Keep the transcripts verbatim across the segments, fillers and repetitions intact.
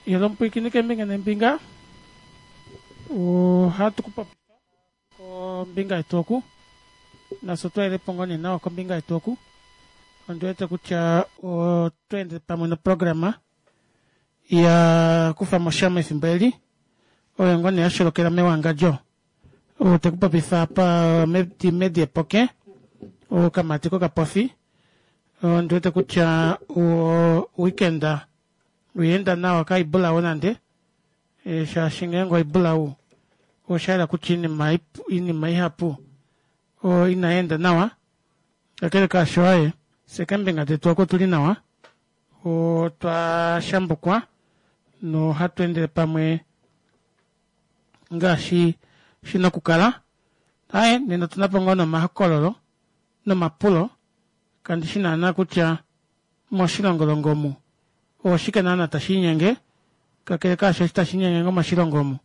Yelomupwiikini keembinga neembinga ohatu kupopifa kombinga yetu oku nafye otwaelepo ngoo nee nawa kombinga yetu oku ondiwete kutya otweende pamwe noprograma ya kufamo sha mefimbo eli oyo ngoo nee yasholokela mewangadjo ou tekupopifa apa medi Epoke okamati kokapofi ondiwete kutya o weekend oyaenda nawa kaibulau nande shaashi ngeenge oibulau oshayela kutya oinima ihapu inayeenda nawa kakele kaasho aaye fyee keembinga detu oku otuli nawa otwa shambukwa nohatu endele pamwe ngaashi shina okukala aaye nena otunapo ngoo nee omahokololo nomapulo kandishi naana kutya moshilongo omu oshike naana tashiinyenge kakele kaasho eshi tashiinyenge ngoo moshilongo omu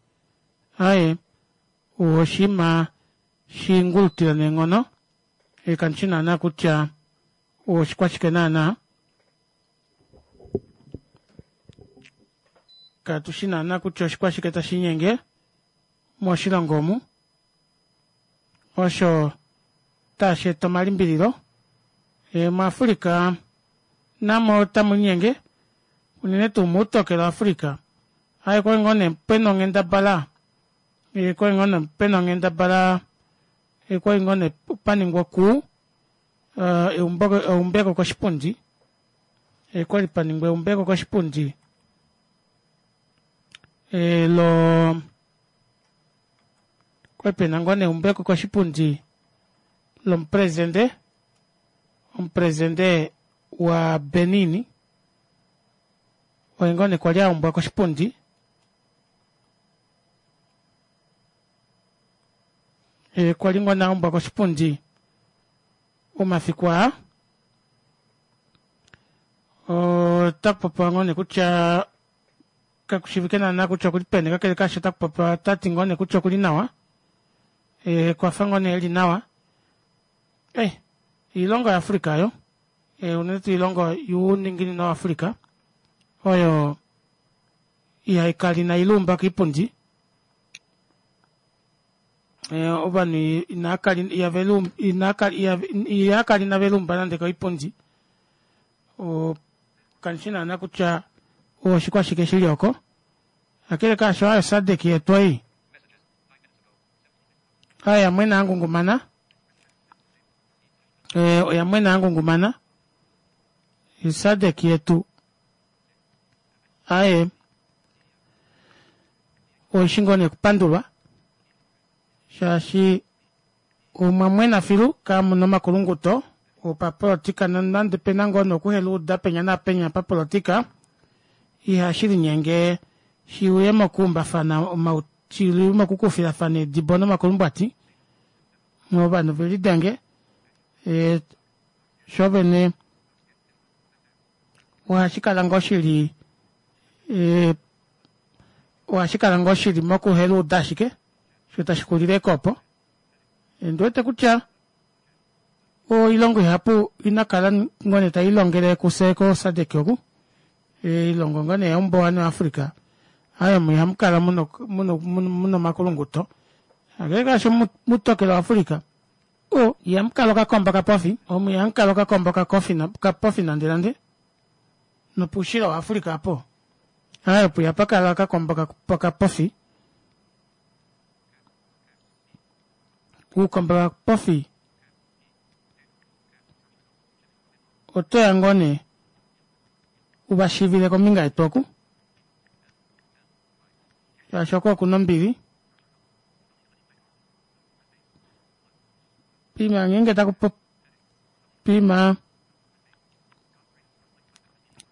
aaye oshiima shingulutila neenghono kandishi naana kutya oshikwashike naana katushi naana kutya oshikwashike tashiinyenge moshilongo omu osho tasheeta omalimbililo muAfrica namo otamulinyenge unene tuu moutokelo waAfrica aaye okwali ngoo nee pena onghendabala okwali ngoo nee pena onghendabala okwali ngoo nee paningwa okuu eumbeko koshipundi okwali paningwa eumbeko koshipundi loo okwali pena ngoo nee eumbeko koshipundi lomupresident omupresident wa Benin oye ngoo nee kwali aumbwa koshipundi kwali ngoo nee aumbwa koshipundi omafiku aa otakupopiwa ngoo nee kutya kakushiivike naana kutya okuli peni kakele kaasho otakupopiwa otati ngoo nee kutya okuli nawa okwafa ngoo nee eli nawa eh oilongo ya Africa aayo unene tuu oilongo youninginino wa Africa oyo ihaikala ina iluumba koipundi ovanhu ihakala ina veluumba nande koipundi kandishi naana kutya oshikwashike shili oko kakele kaasho aaye o SADC yetu ei aaye oyamwena yangungumana oyamwena yangungumana SADC yetu aaye oishi ngoo nee okupandulwa shaashi omwamwena filu kamuna omakulunguto opapolitika nonande opena ngoo nee okuheluuda penya naapenya papolitika ihashilinyenge shiuye mokuumbafana shiuye mokukufilafana eedibo nomakulumbwati ovanhu velidenge shoovene ohashikala ngoo shili ohashikala ngoo shili mokuheluuda ashike shoo tashixulile ashike opo ondiwete kutya oilongo ihapu inakala ngoo nee tailongele kufye ko SADC oku oilongo ngoo nee yaumbuwanhu wa Africa aaye omo ihamukala muna omakulunguto kakele kaasho moutokelo wa Africa oo ihamukala okakombo kapofi omo ihamukala okakombo kapofi nande nande nopoushilo wa Africa aapo aaye opo ihapakala okakombo kapofi uukombo kapofi otoya ngoo nee uvashiivile kombinga yetu oku shaashi oko okuna ombili poima ngeenge takupopiwa poima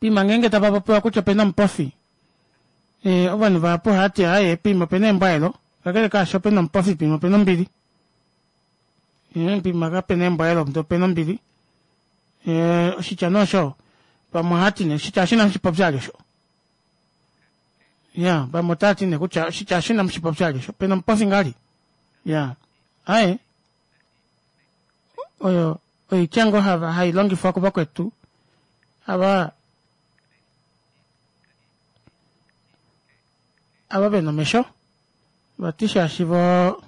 poima ngeenge tapapopiwa kutya opena omupofi ovanhu vahapu ohavati aaye poima opena eembwaelo kakele kaasho pena omupofi poima opena ombili poima kapena eembwaelo ndee opena ombili oshitya nee osho vamwe ohavati nee oshitya oshina mushipopyali osho iya vamwe otavati nee kutya oshitya oshina mushipopyali osho pena omupofi ngahelipi iya aaye oyo oitya ngoo hailongifwa kuvakwetu ava ava vena omesho vati shaashi voo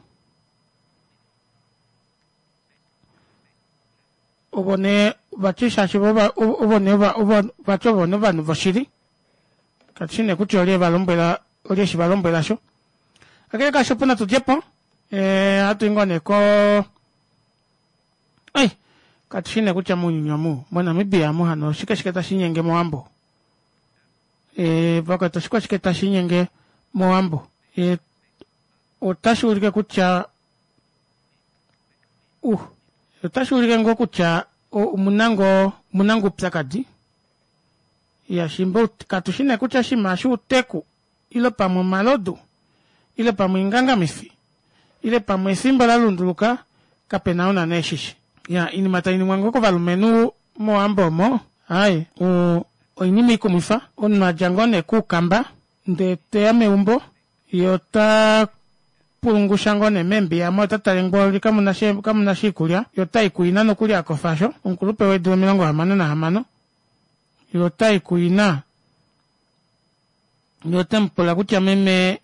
ovo nee vati shaashi ovo nee vati ovo nee ovanhu voshili katushi nee kutya olye evalombwela olye eshivalombwela osho kakele kaasho opuwo natu djepo ohatuyi ngoo nee koo ai katushi nee kutya mounyuni omu mo namibia omu hano oshike shike tashiinyenge mowambo vakwetu oshikwashike tashiinyenge mowambo otashuulike kutya uh otashuulike ngoo kutya omuna ngoo omuna ngoo oupyakadi iyaa shiimba katushi nee kutya oshiima eshi outeku ile pamwe omalodu ile pamwe oingangamifi ile pamwe efimbo lalunduluka kapena ou naana eshishi iyaa oinima tainingwa ngoo kovalumenhu mowambo omo aaye oinima ikumwifa omunhu adja ngoo nee kuukamba ndee teya meumbo yee otaa pulungusha ngoo nee meembiya aamo otatale mboli kamunasha oikulya yee otayi kuina nokuli akofa aasho omukulupe weedula omilongo hamano nahamano yee otayi kuina yee otemupula kutya meme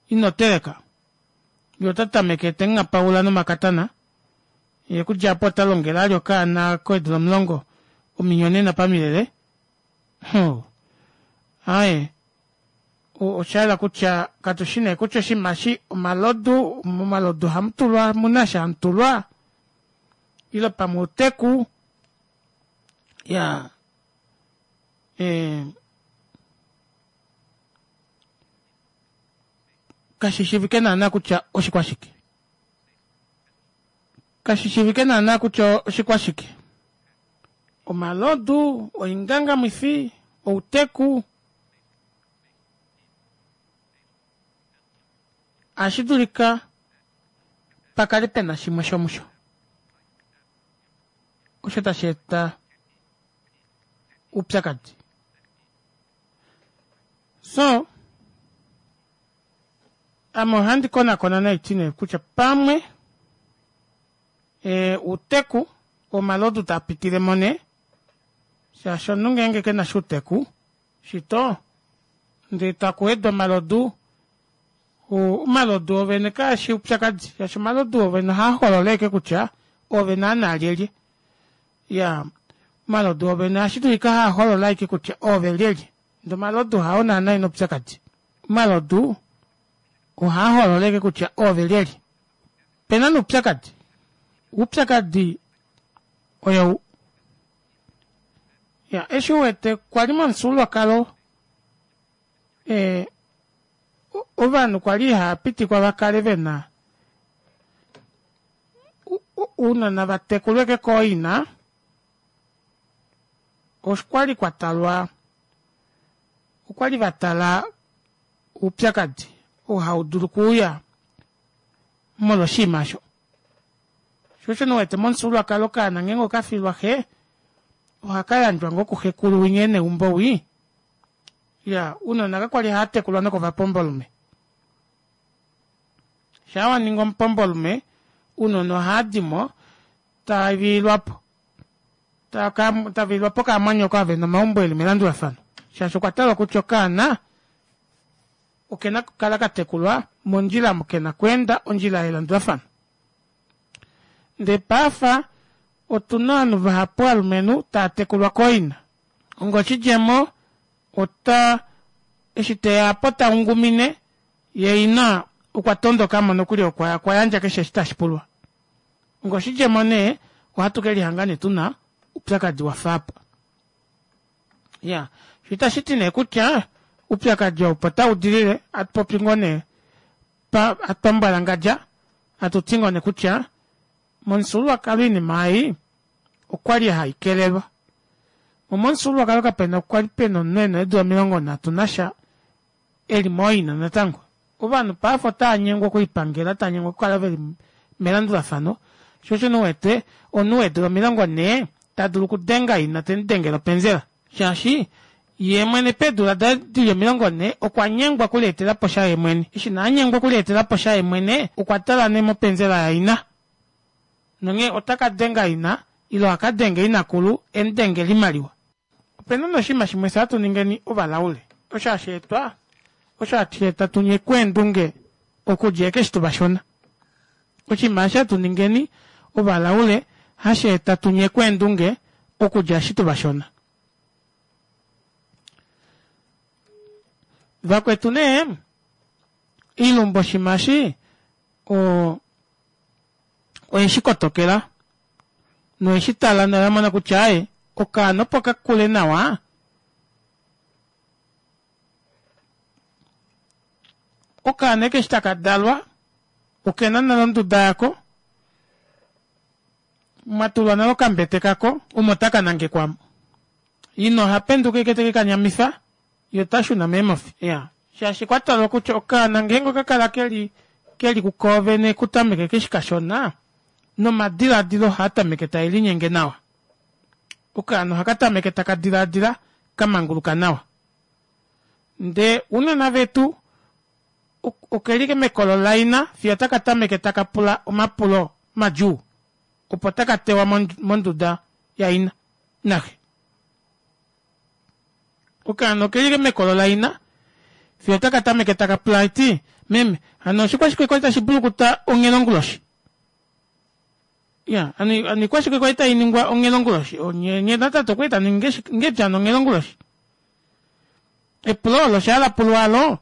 inoteleka yee otatameke temungapaula nomakatana yee okudja aapo otalongele vali okaana keedula omulongo ominyonena pamilele huh aaye oshayela kutya katushi nee kutya oshinima eshi omalodu momalodu ohamutulwa omuna eshi hamutulwa ile pamwe outeku iyaa ee kashishiivike naana kutya oshikwashike kashishiivike naana kutya oshikwashike omalodu oingangamwifi outeku ohashidulika pakale pena shimwe shomusho osho tasheeta oupyakadi soo ame ohandi konakona naiti nee kutya pamwe outeku omalodu taapitilemo nee shaashi omunhu ngeenge kenasha outeku shito ndee takuwedwa omalodu omalodu oovene kaeshi oupyakadi shaashi omalodu oovene ohaaholola ashike kutya oove naana lyelye iyaa omalodu oovene ohashidulika haaholola ashike kutya oove lyelye ndee omalodu hao naana ena oupyakadi omalodu ohaaholola ashike kutya oove lyelye opena nee oupyakadi oupyakadi oyou iya eshi uwete kwali momufyuululwakalo ee ovanhu kwali ihaapitikwa vakale vena ounona vatekulwe ashike kooina okwali kwatalwa okwali vatala oupyakadi oo haudulu okuuya molwo oshiima aasho shoo osho nee uwete momufyuululwakalo okaana ngeenge okafilwa xe ohakayandjwa ngoo kuxekulu winya ena eumbo wii iyaa ounona kakwali haatekulwa nokovapombolume shaa waningi omupombolume ounona ohaadimo taviilwapo taviilwapo kaamwanyoko ava vena omaumbo eli melandulafano shaashi okwa talwa kutya okaana okena okukala katekulwa mondjila omo kena okweenda ondjila yelandulafano ndee paife otuna ovanhu vahapu ovalumenhu taatekulwa kooina onga oshidjemo ota eshi teya aapo taungumine yee ina okwa tondokamo nokuli okwayandja keshe eshi tashipulwa onga oshidjemo nee ohatu kelihanga nee tuna oupyakadi wafa aapa iyaa shoo itashiti nee kutya oupyakadi ou opo taudilile hatupopi ngoo nee pambwalangadja hatuti ngoo nee kutya momufyuululwakalo oinima ei okwali haikelelwa moo momufyuululwakalo kapena kwali pena omunhu ena eedula omilongo nhatu nasha eli mooina natango ovanhu paife otaanyengwa okulipangela taanyengwa okukala veli melandulafano shoo osho nee uwete omunhu weedula omilongo nhee tadulu okudenga ina temudengele openzela shaashi yeemwene peedula daye dili omilongo nhee okwanyengwa okuleetelaposha yeemwene eshi nee anyengwa okuleetelaposha yeemwene okwa tala nee mopenzela yaina nonghee otakadenga ina ile akadenge inakulu emudengele oimaliwa. Opena nee oshinima shimwe fyee hatu ningeni ovalaule osho hasheetwa Osho hashi eta tunyekwe eendunge okudja ekeshi tuvashona. Oshinima eshi hatu ningeni ovalaule hashi eta tunyekwe eendunge okudja eshi tuvashona. Vakwetu nee iilumbu oshiima eshi oo oyeshikotokela noyeshitala noyamona kutya aaye okaana opo kakule nawa okaana eshi takadalwa okena nale onduda yako mwatulwa nale okambete kako omo takanangekwa aamo. Ina ohapenduka ashike tekekanyamifa yee otashuna meemofi iyaa shaashi okwatalwa kutya okaana ngeenge okakala keli keli kukoovene okutameka eshi kashona nomadilaadilo ohaatameke taelinyenge nawa. Okaana ohakatameke taka dilaadila kamanguluka nawa. Ndee ounona vetu okeli ashike mekolo laina fiyo taka tameke taka pula omapulo madjuu opo taka tewa monduda yaina naxe. Okaana okeli ashike mekolo laina fiyo taka tameke taka pula haiti meme hano oshikwashike kwali tashi mbulukuta onghela onguloshi? Iyaa hano oikwashike kwali tainingwa onghela onguloshi nyee natate okwali tamuningi ngahelipi hano onghela onguloshi? Epulo olo shaa lapulwa aalo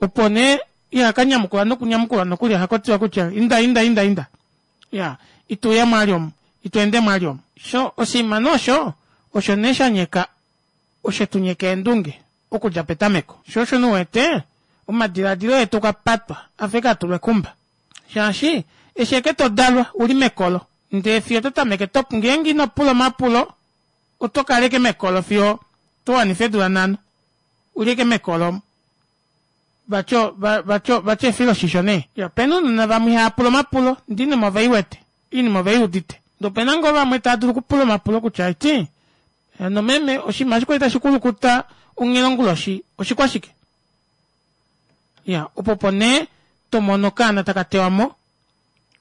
opo nee ihakanyamukula nokunyamukula nokuli ohakutiwa kutya inda inda inda inda iyaa ituuyamo vali omu itweendemo vali omu shoo oshiima nee osho osho nee shanyeka oshetunyeka eendunge okudja petameko shoo osho nee uwete omadilaadilo etu okwa patwa afa ashike atulwa ekumba shaashi eshi ashike todalwa uli mekolo ndee fiyo ototameke ngeenge inopula omapulo otokala ashike mekolo fiyo towanifa eedula nhano uli ashike mekolo omo vati vati vati efiloshisho nee. Opena ounona vamwe ihaapula omapulo ndee oinima oveiwete oinima oveiudite ndee opena ngoo vamwe taadulu okupula omapulo kutya aiti hano meme oshinima eshi kwali tashi kulukuta onghela onguloshi oshikwashike? Iyaa opo opo nee tomono okaana taka tewamo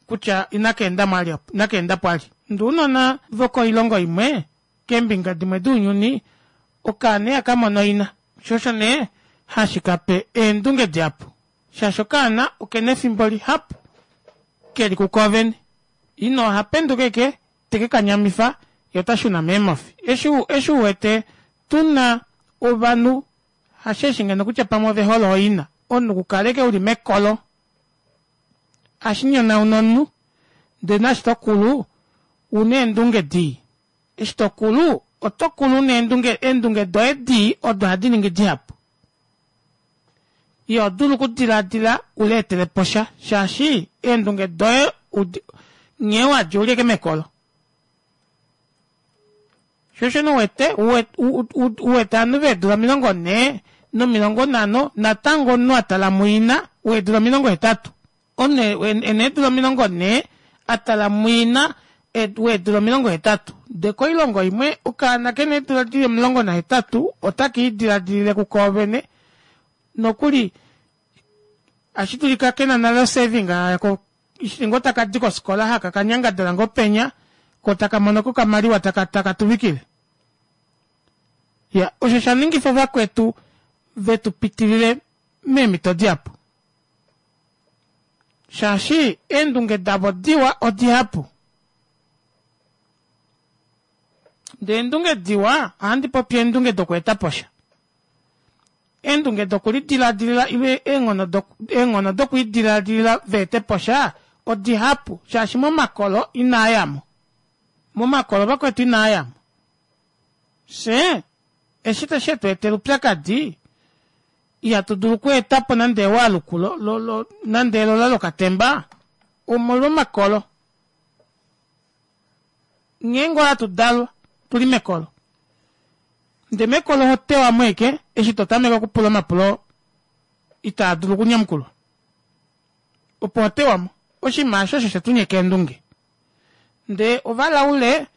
kutya inakeendamo vali inakeendapo vali. Ndee ounona vokoilongo imwe keembinga dimwe dounyuni okaana ihakamono ina shoo osho nee hashikape eendunge dihapu shaashi okaana okena efimbo lihapu keli kukoovene. Ina ohapenduka ashike tekekanyamifa yee otashuna meemofi. Eshi eshi uwete tuna ovanhu hasheeshi ngeno kutya pamwe ovehole ooina omunhu okukala ashike uli mekolo ohashinyonauna omunhu ndee naashi tokulu una eendunge dii eshi tokulu otokulu una eendunge eendunge doye dii odo hadi ningi dihapu ihodulu okudilaadila uleeteleposha shaashi eendunge doye nghee wadja uli ashike mekolo shoo osho nee uwete uwete ovanhu veedula omilongo nhee nomilongo nhano natango omunhu atala muina weedula omilongo hetatu omunhu ena eedula omilongo nhee atala muina weedula omilongo hetatu ndee koilongo imwe okaana kena eedula dili omulongo nahetatu ota kiidilaadilile kukoovene nokuli ashidulika kena nale osaving yako eshi ngoo takadi kofikola haka kanyangadala ngoo penya koo takamonoko okamaliwa taka taka tuvikile. Iya osho oshaningifa vakwetu vetu pitilile meemito dihapu shaashi eendunge davo diwa odihapu ndee eendunge diwa ohandi popi eendunge dokweetaposha eendunge dokulidilaadilila ile eenghono eenghono dokwiidilaadilila veeteposha odihapu shaashi momakolo inaayamo momakolo vakwetu inaayamo fyee eshi shetu etela oupyakadi ihatu dulu okweetapo nande ewaluku nande elola lokatemba omolwo makolo. Nghee ngoo hatu dalwa tuli mekolo ndee mekolo ohotewamo ashike eshi totameke okupula omapulo itaadulu okunyamukulwa opo hotewamo oshinima aasho osho shetunyeka eendunge ndee ovalaule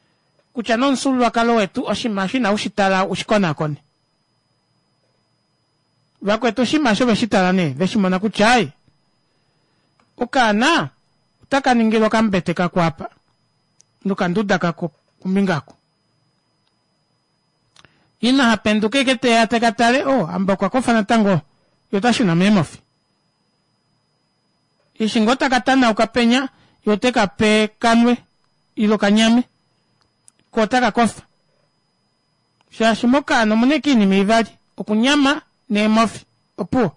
kutya nee omufyuululwakalo wetu oshinima aasho inaushitala ushikonaakone vakwetu oshinima aasho oveshitala nee veshimona kutya aaye okaana otaka ningilwa okambete kako apa nokanduda kako kombinga oko ina hapenduka ashike teya teka tale oh hamba okwakofa natango Ye ota shuna meemofi. Eshi ngoo taka tanauka penya, ye ote ka pe kanwe ile okanyame, ko otaka kofa. Shaashi mokaana omuna ashike oinima ivali, okunyama neemofi, opuwo.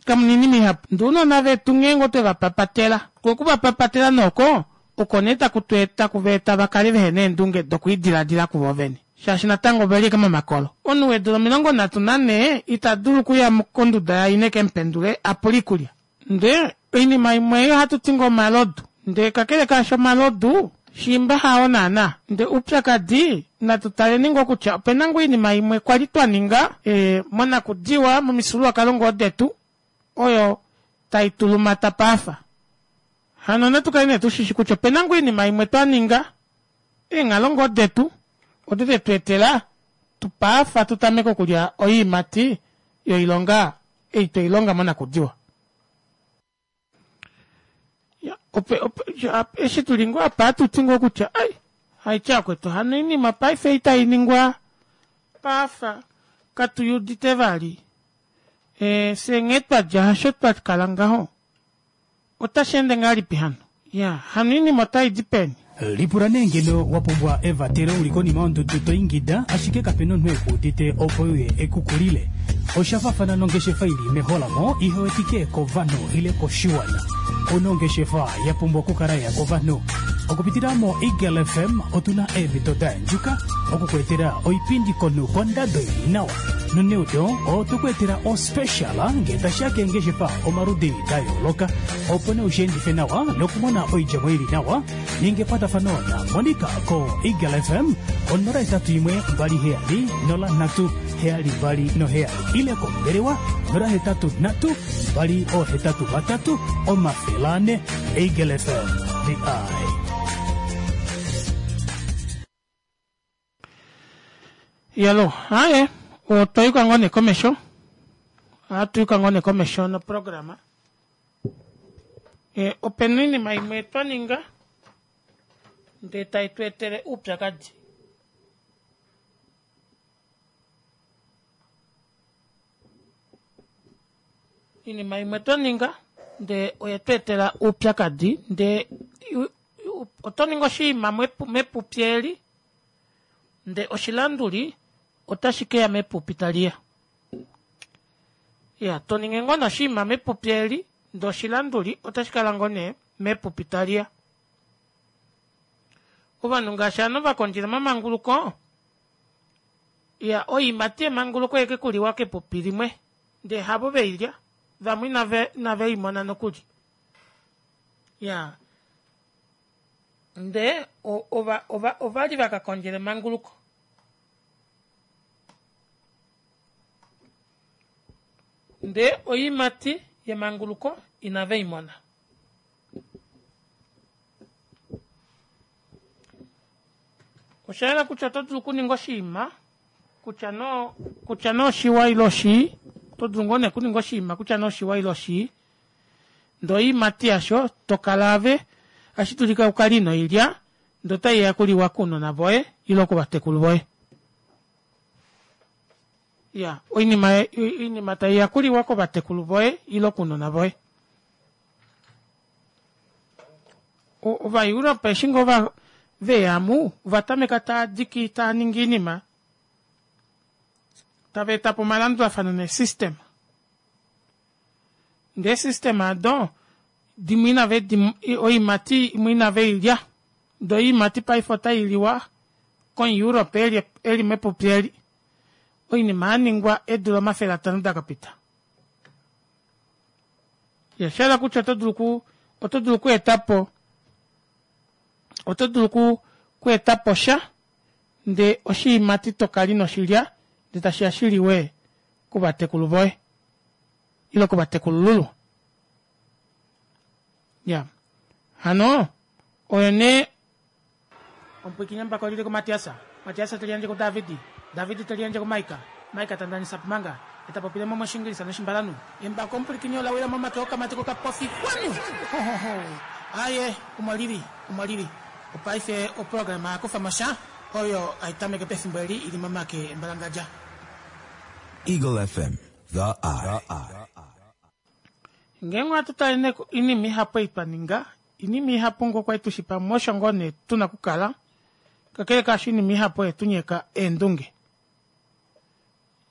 Kamuna oinima ihapu. Ndee ounona vetu ngeenge otwe vapapatela, koo okuvapapatela nee oko, oko nee taku tu taku vaeta vakale vehena eendunge dokwiidilaadila kuvoo vene shaashi natango oveli ashike momakolo. Omunhu weedula omilongo nhatu nanhee ita dulu okuya konduda yaina ekemupendule apule oikulya. Ndee oinima imwe ei ohatuti ngoo omalodu ndee kakele kaasho omalodu shiimba hao naana. Ndee oupyakadi natu taleni ngoo kutya opena ngoo oinima imwe kwali twaninga ee monakudiwa momifyuululwakalo ngoo detu oyo taitulumata paafa. Hano natukale nee tushishi kutya opena ngoo oinima imwe twaninga eenghalo ngoo detu odo detweetela paafa tutameke okulya oyiimati yoilonga ei tweilonga monakudiwa. Eshi tuli ngoo apa ohatuti ngoo kutya ai haitya vakwetu hano oinima paife ei tainingwa paafa katuyuudite vali ee fyee nghee twadja hasho twakala ngaho otasheende ngahelipi hano iyaa hano oinima otaidi peni. Lipula nee ngeno wa pumbwa evatelo uli konima yondudu to ingida ashike kapena omunhu eku udite opo euye eku kulile. Osha faafana nongeshefa ili meholamo ihe wetike kovanhu ile koshiwana. Ouna ongeshefa ya pumbwa okukala ya kovanhu. Okupitila mo Eagle F M otuna eemhito da yandjuka oku ku etela oipindi komunhu kondado ili nawa. Noneudo otwe ku etela ospecial ngee tashiya keengeshefa omaludi da yooloka opo nee ushiendife nawa nokumona oidjemo ili nawa. Ninga ekwatafano na Monica ko Eagle F M onola hetatu imwe mbali heyali nola nhatu heyali mbali noheyali ile kombelewa nola hetatu nhatu mbali ohetatu vatatu omafele ane. Eagle F M, the eye. Iyalo, aaye otwa yuka ngoo nee komesho, ohatu yuka ngoo nee komesho noprograma. E, opena oinima imwe twa ninga ndee tai tu etele oupyakadi. Oinima imwe twa ninga ndee oye tu etela oupyakadi ndee oto ningi oshinima mepupi eli ndee oshilanduli otashi keya mepupi taliya. Iya, toningi ngoo nee oshinima mepupi eli ndee oshilanduli otashi kala ngoo nee mepupi taliya. Ovanhu ngaashi ovanhu vakondjela omamanguluko, iya oyiimati yemanguluko oyeke kuliwa kepupi limwe ndee havo veilya, vamwe inaveimona nokuli. Iya, ndee ova ova ovali vakakondjela emanguluko. Ndee oyiimati yemanguluko inaveimona. Oshayela kutya oto dulu okuninga oshinima kutya noo kutya nee oshiwa ile oshii, oto dulu ngoo nee okuninga oshinima kutya nee oshiwa ile oshii ndee oyiimati yasho tokala ave ohashi dulika ukale inoilya ndee otaiya okuliwa kounona voye ile kovatekulu voye. Iya, oinima oinima taiya okuliwa kovatekulu voye ile kounona voye. Ovaeurope eshi ngoo veyamu ovatameka taadiki taaningi oinima tava etapo omalandulafano neesystem. Ndee eesystem aado dimwe inave oiimati imwe inaveilya ndee oyiimati paife otailiwa komuEurope eli mepupi eli oinima yaningwa eedula omafele atano dakapita. Oshahala kutya oto dulu oto dulu okweetapo oto dulu okweetapo sha ndee oshiimati tokala inoshilya ndee tashiya shiliwe kovatekulu voye ile kovatekulululwa. Iya, hano oyo nee omupwiikini embako lili kuMatias, Matias teliyandje kuDavid, David teliyandje kuMaika, Maika tandanisa pumanga, eta popile mo moshingilisa noshimbalanhu. Embako omupwilikini ola wila momake okamati kokapofi kwanu! Hohoho! Aaye, omo lili, omo lili. Opaife oprograma ya kufa mo sha, oyo hai tameke pefimbo eli i li momake embalangadja. Eagle F M, The Eye. Ngeenge ohatu tale nee oinima ihapu ei twa ninga, oinima ihapu ngoo kwali tushi pamwe osho ngoo nee tuna okukala, kakele kaasho oinima ihapu oye tunyeka eendunge.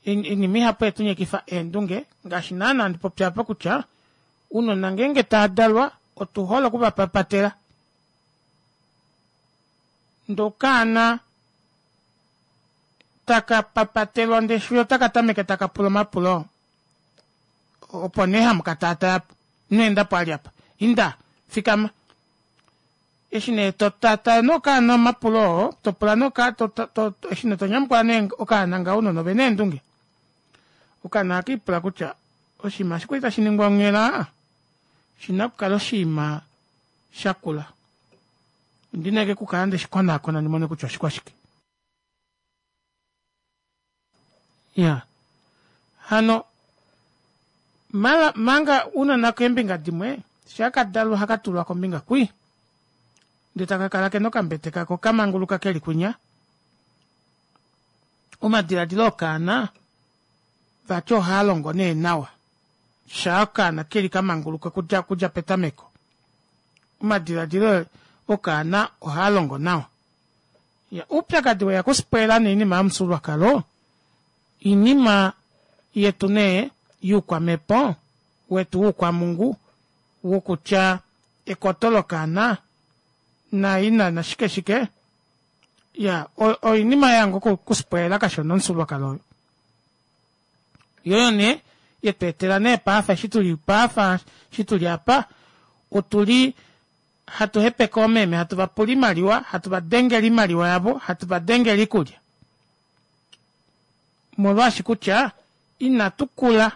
Oinima ihapu oye tunyekifa eendunge ngaashi naana handi popi aapa kutya ounona ngeenge taadalwa otuhole okuvapapatela. Ndee okaana taka papatelwa ndee fiyo otaka tameke taka pula omapulo opo nee hamukataatayapo ino endapo vali apa inda fikama eshi nee totaataa nee okaana omapulo oo topula nee eshi nee tonyamukula nee okaana ngaho ounona ovena eendunge okaana ohakiipula kutya oshinima eshi kwali tashiningwa onghela oshina okukala oshiima shakula ondina ashike okukala ndeshikonaakona ndimone kutya oshikwashike iyaa hano manga ounona keembinga dimwe shaakadalwa ohakatulwa kombinga kwii ndee takakala kena okambete kako kamanguluka keli kwinya omadilaadilo okaana vati ohaalongo nee nawa shaa okaana keli kamanguluka okudja petameko omadilaadilo okaana ohaalongo nawa iya oupyakadi weya okuspwela nee oinima yomufyuululwakalo oinima yetu nee youkwamepo wetu woukwamungu wokutya ekoto lokaana naina nashike shike iyaa oinima yaya ngoo okuspwela kashona omufyuululwakalo oyo yoo nee yetweetela nee paife eshi tuli paife eshi tuli aapa otuli hatu hepeke oomeme hatu vapula oimaliwa hatu vadengele oimaliwa yavo hatu vadengele oikulya omolwaashi kutya ina tukula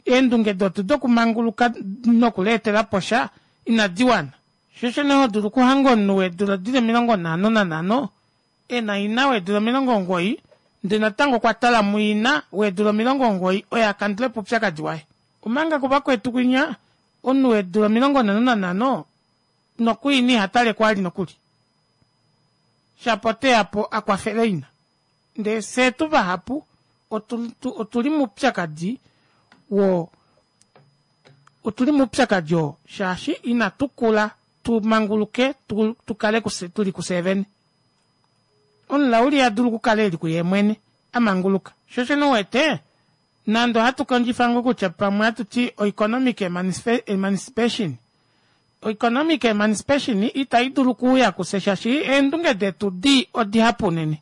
eendunge detu dokumanguluka noku leetelaposha ina diwana shoo osho nee hodulu okuhanga omunhu weedula dili omilongo nhano nanhano ena ina weedula omilongo omugoyi ndee natango okwa tala muina weedula omilongo omugoyi oye akandulepo oupyakadi waye omanga kuvakwetu kwinya omunhu weedula omilongo nhano nanhano nokuina ihataleko vali nokuli shapo oteyapo akwafele ina ndee fyee tuvahapu otuli moupyakadi woo otuli moupyakadi oo shaashi ina tukula tumanguluke tukale tuli kufyee vene omulaule ihadulu okukala eli kuyeemwene amanguluka shoo osho nee uwete nande ohatu kondjifa ngoo kutya pamwe ohatuti o economic emancipation o economic emancipation ita idulu okuuya kufye shaashi eendunge detu dii odihapu unene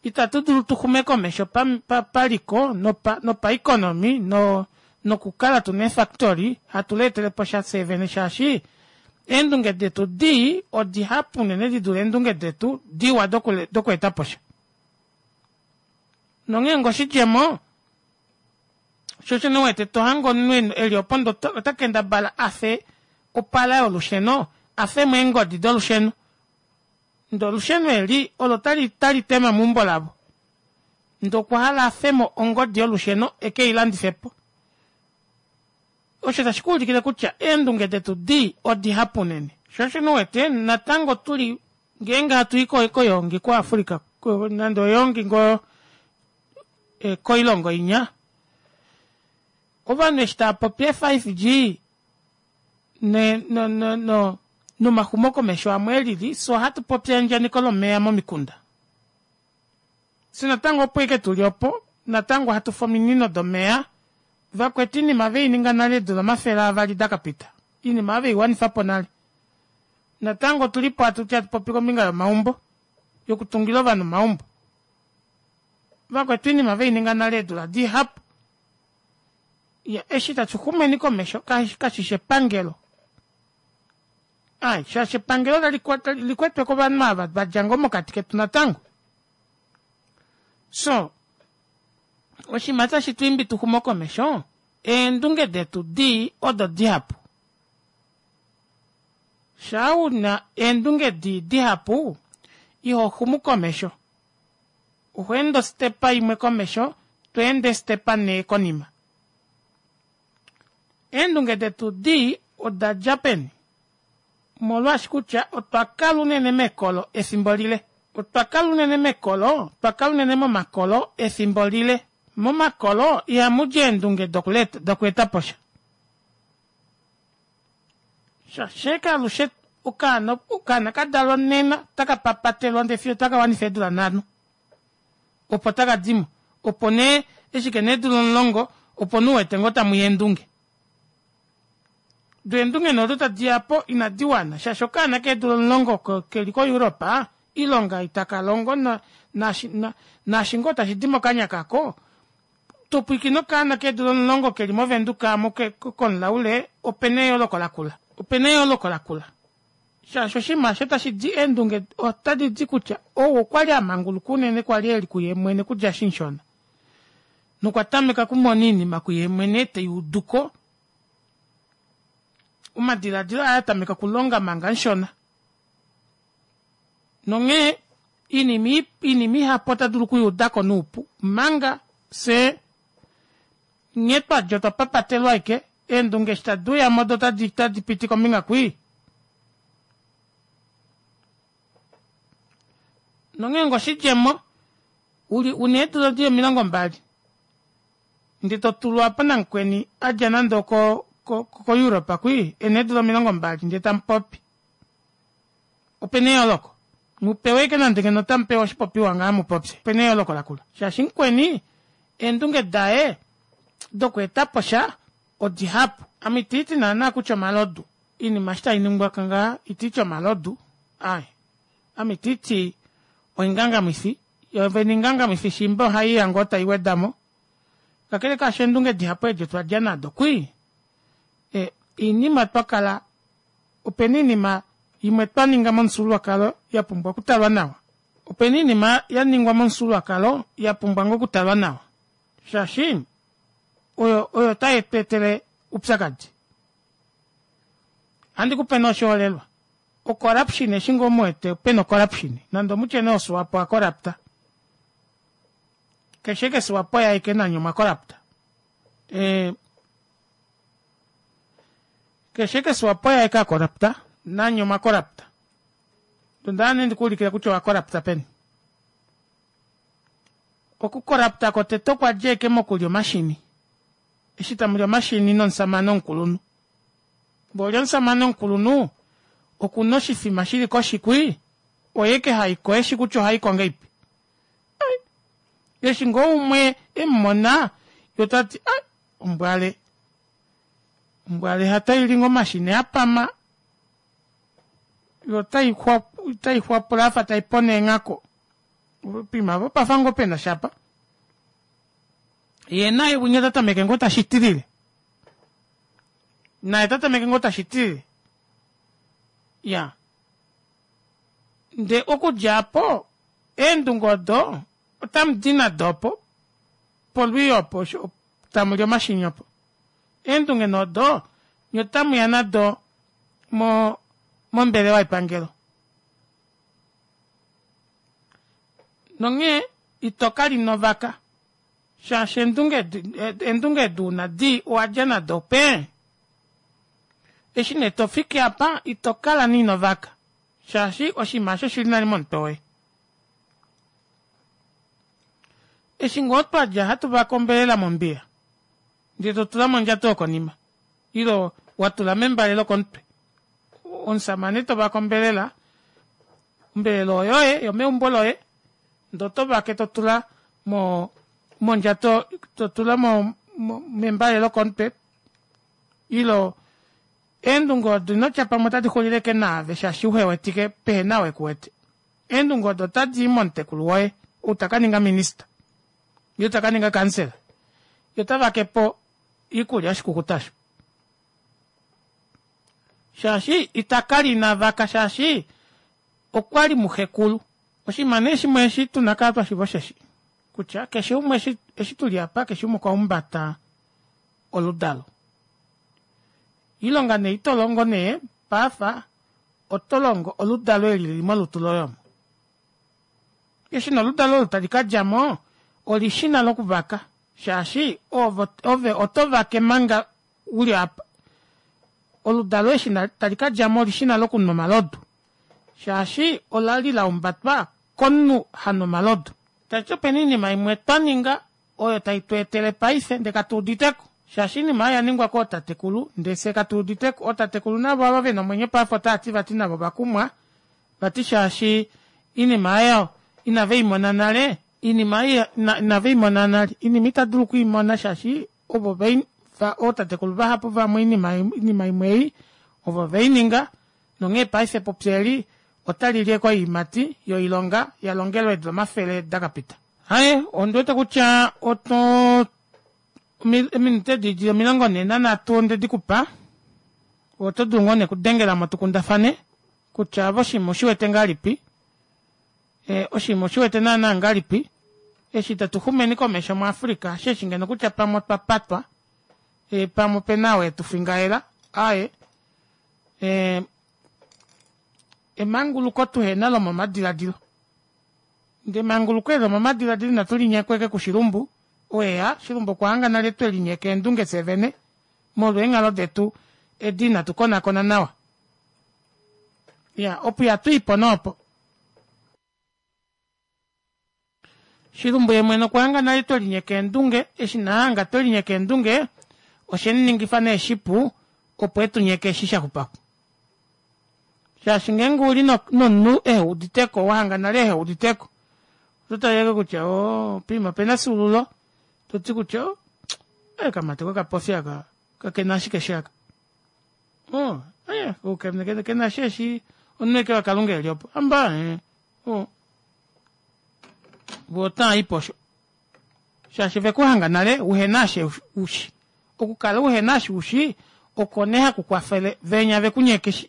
ita tudulu tuxume komesho paliko nopaeconomy nokukala tuna eefactory hatu leeteleposha fyee vene shaashi eendunge detu dii odihapu unene didule eendunge detu diwa dokweetaposha nonghee ngoo oshidjemo shoo osho nee uwete tohange omunhu eli opo ndee ota kendabala afe opala yolusheno afemo eengodi dolusheno ndee olusheno eli olo tali tema meumbo lavo ndee okwahala afemo ongodi yolusheno ekeilandifepo osho tashi kuulikile kutya eendunge detu dii odihapu unene shoo osho nee uwete natango tuli ngeenge hatui koyoongi ku africa nande oyoongi ngoo koilongo inya ovanhu eshi taapopi ee five G nomaxumokomesho amwe elili fyee ohatu popi eandjaneko lomeva momikunda fyee natango opo ashike tuli opo natango hatufe ominino domeva vakwetu oinima veininga nale eedula omafele avali dakapita oinima oyo veiwanifapo nale natango otulipo hatuti hatu popi kombinga yomaumbo yokutungila ovanhu omaumbo vakwetu oinima veininga nale eedula dihapu iya eshi tashi xumeni komesho kashishi epangelo ai shaashi epangelo likwetwe kovanhu ava vadja ngoo mokati ketu natango so oshinima tashi twiimbi tuxume komesho eendunge detu dii odo dihapu shaa una eendunge dii dihapu iho xumu komesho oho ende ostepa imwe komesho tweende eestepa nhee konima eendunge detu dii odadja peni omolwaashi kutya otwa kala unene mekolo efimbo lile Otwa kala unene mekolo, otwa kala unene momakolo efimbo lile. Momakolo ihamudi eendunge dokweeta po sha. Shaashi alushe okaana okaana ka dalwa nena otaka papatelwa ndee fiyo taka wanifa eedula nhano opo taka dimo opo nee eshi kena eedula omulongo opo nee uwete ngoo tamuya eendunge. Doo eendunge nee odo tadiyapo inadi wana shaashi okaana keedula omulongo keli ko europe oilonga ei takalongo naashi ngoo tashidi mokanya kako topwiikine okaana keedula omulongo keli mo venduka aamo komulaule opena eyooloko lakula opena eyooloko lakula shaashi oshinima aasho tashidi eendunge otadidi kutya ou okwali amanguluka unene kwali eli kuye mwene okudja eshi mushona nokwa tameka okumona oinima kuye mwene teyuuduko omadilaadilo aye atameka okulonga manga mushona nonghee oinima oinima ihapu otadulu okuyuudako noupu omanga fyee nghee twadja otwa papatelwa ashike eendunge eshi taduuyamo doo otadi piti kombinga kwii nonghee onga oshidjemo uli una eedula dili omilongo mbali ndee totulwapo namukweni adja nande oko ko europe kwii ena eedula omilongo mbali ndee tamupopi opena eyooloko mupewe ashike nande ngeno otamupewa oshipopiwa ngaha mupopye opena eyooloko lakula shaashi mukweni eendunge daye dokweetapo sha odihapu ame itiiti naana kutya omalodu oinima eshi tainingwa ngaha itiiti omalodu aaye ame itiiti oingangamwifi yoovene oingangamwifi shiimba ohaiya ngoo taiwedamo kakele kaasho eendunge dihapu edi otwadja nado kwii oinima twakala opena oinima imwe twaninga momufyuululwakalo yapumbwa okutalwa nawa opena oinima yaningwa momufyuululwakalo yapumbwa ngoo okutalwa nawa shaashi oyo oyo taitweetele oupyakadi ohandikupe nee oshiholelwa o corruption eshi ngoo muwete pena o corruption nande omutye nee oswapo a corrupta keshe ashike swapo oye aike nanye omwa corrupta keshe ashike swapo oye aike acorrupta nanye omwa corrupta ondahala nee ndikuulikile kutya owa corrupta peni oku corrupta kotete okwadja ashike mokulya omashini eshi tamuli omashini nomushamane omukulunhu mboli omushamane omukulunhu okuna oshifima shili koshi kwii oye ashike haiko eshi kutya ohaiko ngahelipi eshi ngoo umwe emumona yee otati ai ombwale ombwale hataili ngoo omashini apama yoo otaixwapula yafa taipona eenghaku poima aapo opafa ngoo penasha aapa yee naye winya otatameke ngoo tashitilile naye otatameke ngoo tashitilile iyaa ndee okudja aapo eendunge odo otamudi nado opo polwiyo opo tamuli omashini opo eendunge nee odo nyee otamuya nado mo mombelewa yepangelo nonghee itokala inovaka shaashi eendunge eendunge edi una dii owadja nado pee eshi nee tofiki aapa itokala nee inovaka shaashi oshinima aasho oshili nale momutwe woye eshi ngoo twadja hatu vake ombelela mombiya ndee totula mondjato yokonima ile watula membale lokomutwe omushamane tovake ombelela ombelela oyoye yomeumbo loye ndee otovake totula mo mondjato totula mo membale lokomutwe ile eendunge odo inotya pamwe otadi xulile ashike naave shaashi uhewetike pehena ou ekuwete eendunge odo otadii momutekulu woye ou takaninga minister ile takaninga kansela yee otavakepo oikulya yoshikukuta osho shaashi itakala inavaka shaashi okwali muxekulu oshinima nee shimwe eshi tuna okukala twashiiva osheshi kutya keshe umwe eshi tuli aapa keshe umwe okwa humbata oludalo oilonga nee itolongo nee paife otolongo oludalo eli lili molutu loye omo eshi nee oludalo olo tali kadjamo olishina lokuvaka shaashi ove otovake manga uli apa oludalo eshi tali kadjamo olishina lokunwa omalodu shaashi olali lahumbatwa komunhu hanwa omalodu. Tashiti opena oinima imwe twaninga oyo taitweetele paife ndee katuuditeko shaashi oinima oyo oyaningwa kootatekulu ndee fyee katuuditeko. Ootatekulu navo ava vena omwenyo paife otaati vati navo ovakumwa vati shaashi oinima aayo inaveimona nale. Oinima ei inaveimona nale, oinima itadulu okwiimona shaashi ovo ootatekulu vahapu vamwe oinima imwe ei ovo veininga nonghee paife epupi eli otalili ashike oyiimati yoilonga yalongelwe eedula omafele dakapita. Aaye ondiwete kutya oto ominute edi dili omilongo nhee nanhatu ondedikupa oto dulu ngoo nee okudengelamo tukundafane kutya ove oshinima ushiwete ngahelipi oshinima ushiwete naana ngahelipi eshi tatuxumeni komesho mu Africa hasheeshi ngeno kutya pamwe otwa patwa pamwe opena ou etufingaela aaye emanguluko tuhena lomomadilaadilo ndee emanguluko eli lomomadilaadilo inatu linyekwa ashike kushilumbu oo eya shilumbu okwahanga nale twelinyeka eendunge fyee vene molwa eenghalo detu edi ina tukonakona nawa iya opo ihatwiipo nee opo shilumbu yeemwene okwahanga nale twelinyeka eendunge eshi nee ahanga twelinyeka eendunge oshemuningifa nee shipu opo etunyeke eshi shaxupako shaashi ngeenge uli nomunhu eheuditeko wahanga nale eheuditeko ototale ashike kutya oo poima opena efyuululo toti kutya oo okamati kokapofi aka kakena eshi keshi aaka oo kena eshi eshi omunhu ashike wakalunga eli opo hamba oo voo otavaipo osho shaashi ovekuhanga nale uhena eshi ushi okukala uhena eshi ushi oko nee hakukwafele venya vekunyeke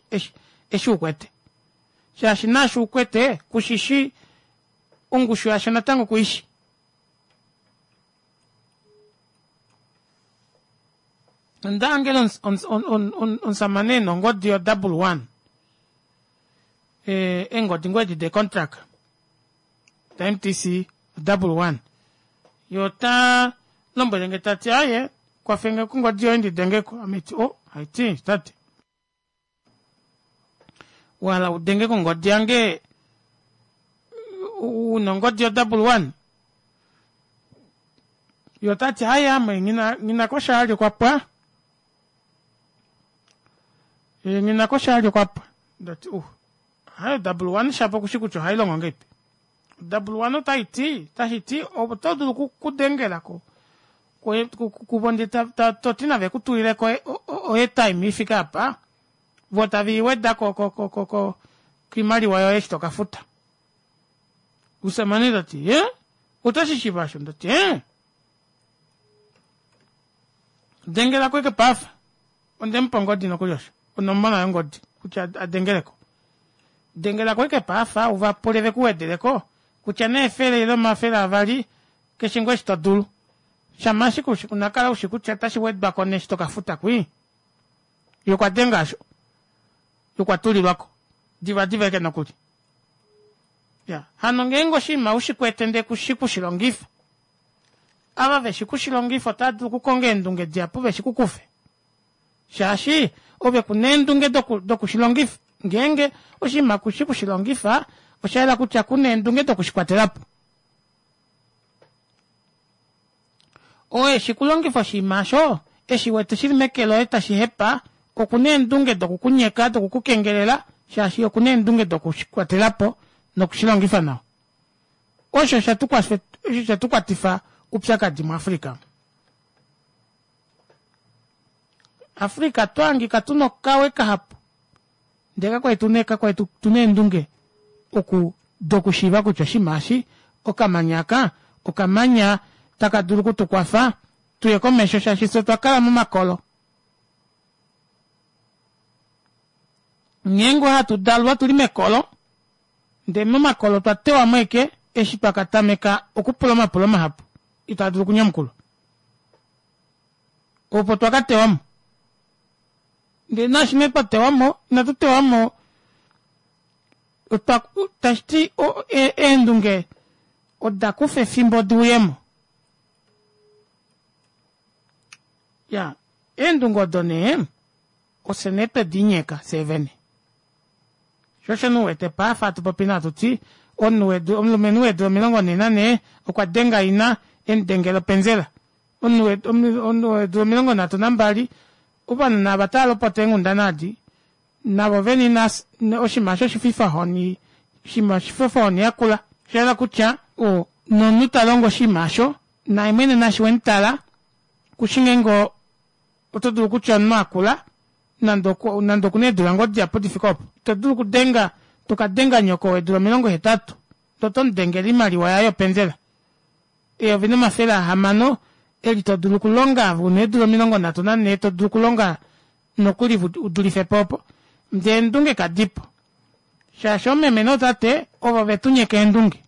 eshi ukwete shaashi naashi ukwete kushishi ongushu yasho natango kuishi. Ondahangele omushamane ena ongodi yo double one eengodi ngoo edi dee contract da M T C double one yee ota lombwelenge tati aaye kwafenge kongodi yoye ndidengeko ame haiti oh haiti tate wahala udenge kongodi yange una ongodi yo double one ye otati aaye ame nghina koshaali okwapwa nghina koshaali okwapwa ndati uh aaye double one shapo okushi kutya ohailongo ngahelipi double one otaiti otashiti oto dulu okudengelako kuvo ndee toti nave kutulileko o airtime ifike aapa voo tave iweda koimaliwa yoye eshi tokafuta. Omushamane tati hee oto shishiiva osho ndati ee dengelako ashike paife ondemupa ongodi nokuli osho onomola yongodi kutya adengeleko dengelako ashike paife uvapule vekuwedeleko kutya nee efele ile omafele avali keshe ngoo eshi todulu shama ashike unakala ushi kutya otashi wedwako nee eshi tokafuta kwii yee okwadenga aasho yee okwatulilwako diva diva ashike nokuli iya hano ngeenge oshinima ushikwete ndee kushi kushilongifa ava veshi kushilongifa otava dulu okukonga eendunge dihapu veshikukufe shaashi ove kuna eendunge dokushilongifa ngeenge oshinima kushi kushilongifa oshayela kutya kuna eendunge dokushikwatelapo oo eshi kulongifa oshinima aasho eshi wete shili meke loye tashi hepa okuna eendunge dokukunyeka dokukukengelela shaashi okuna eendunge dokushikwatelapo nokushilongifa nawa osho shetukwatifa oupyakadi mu Africa. Africa twahangika tuna okawe kahapu ndee kakwali tuna kakwali tuna eendunge oku dokushiiva kutya oshinima eshi okamanya aka okamanya taka dulu okutukwafa tuye komesho shaashi fyee otwa momakolo. Ngeenge hatu dalwa tuli mekolo ndee momakolo otwa tewamo ashike eshi twakatameka okupula omapulo mahapu itaa dulu okunyamukulwa opo twakatewamo ndee naashi nee twatewamo inatu tewamo tashiti eendunge odakufa efimbo diuyemo iya eendunge odo nee ofye nee twedinyeka fyee vene shoo osho nee uwete paife hatu popi nee hatuti Omunhu omulumenhu weedula omilongo nhee nanhee okwa denga ina emudengela openzela. Omunhu weedula omilongo nhatu nambali ovanhu nava taalopota eenghundana adi navo vene ina oshinima osho oshififahoni oshinima oshififahoni yakula. Oshahala kutya nomunhu talongo oshinima aasho naye mwene naashi wemutala kushi ngeenge oto dulu kutya omunhu akula nande nande okuna eedula ngoo dihapu difike opo. Ito dulu okudenga tokadenga nyoko weedula omilongo hetatu ndee otomudengele oimaliwa yaye yopenzela eyovi nomafele ahamano eli todulu okulonga ove una eedula omilongo nhatu nanhee todulu okulonga nokuli udulifepo opo ndee eendunge kadipo shaashi oomeme nootate ovo vetunyeka eendunge.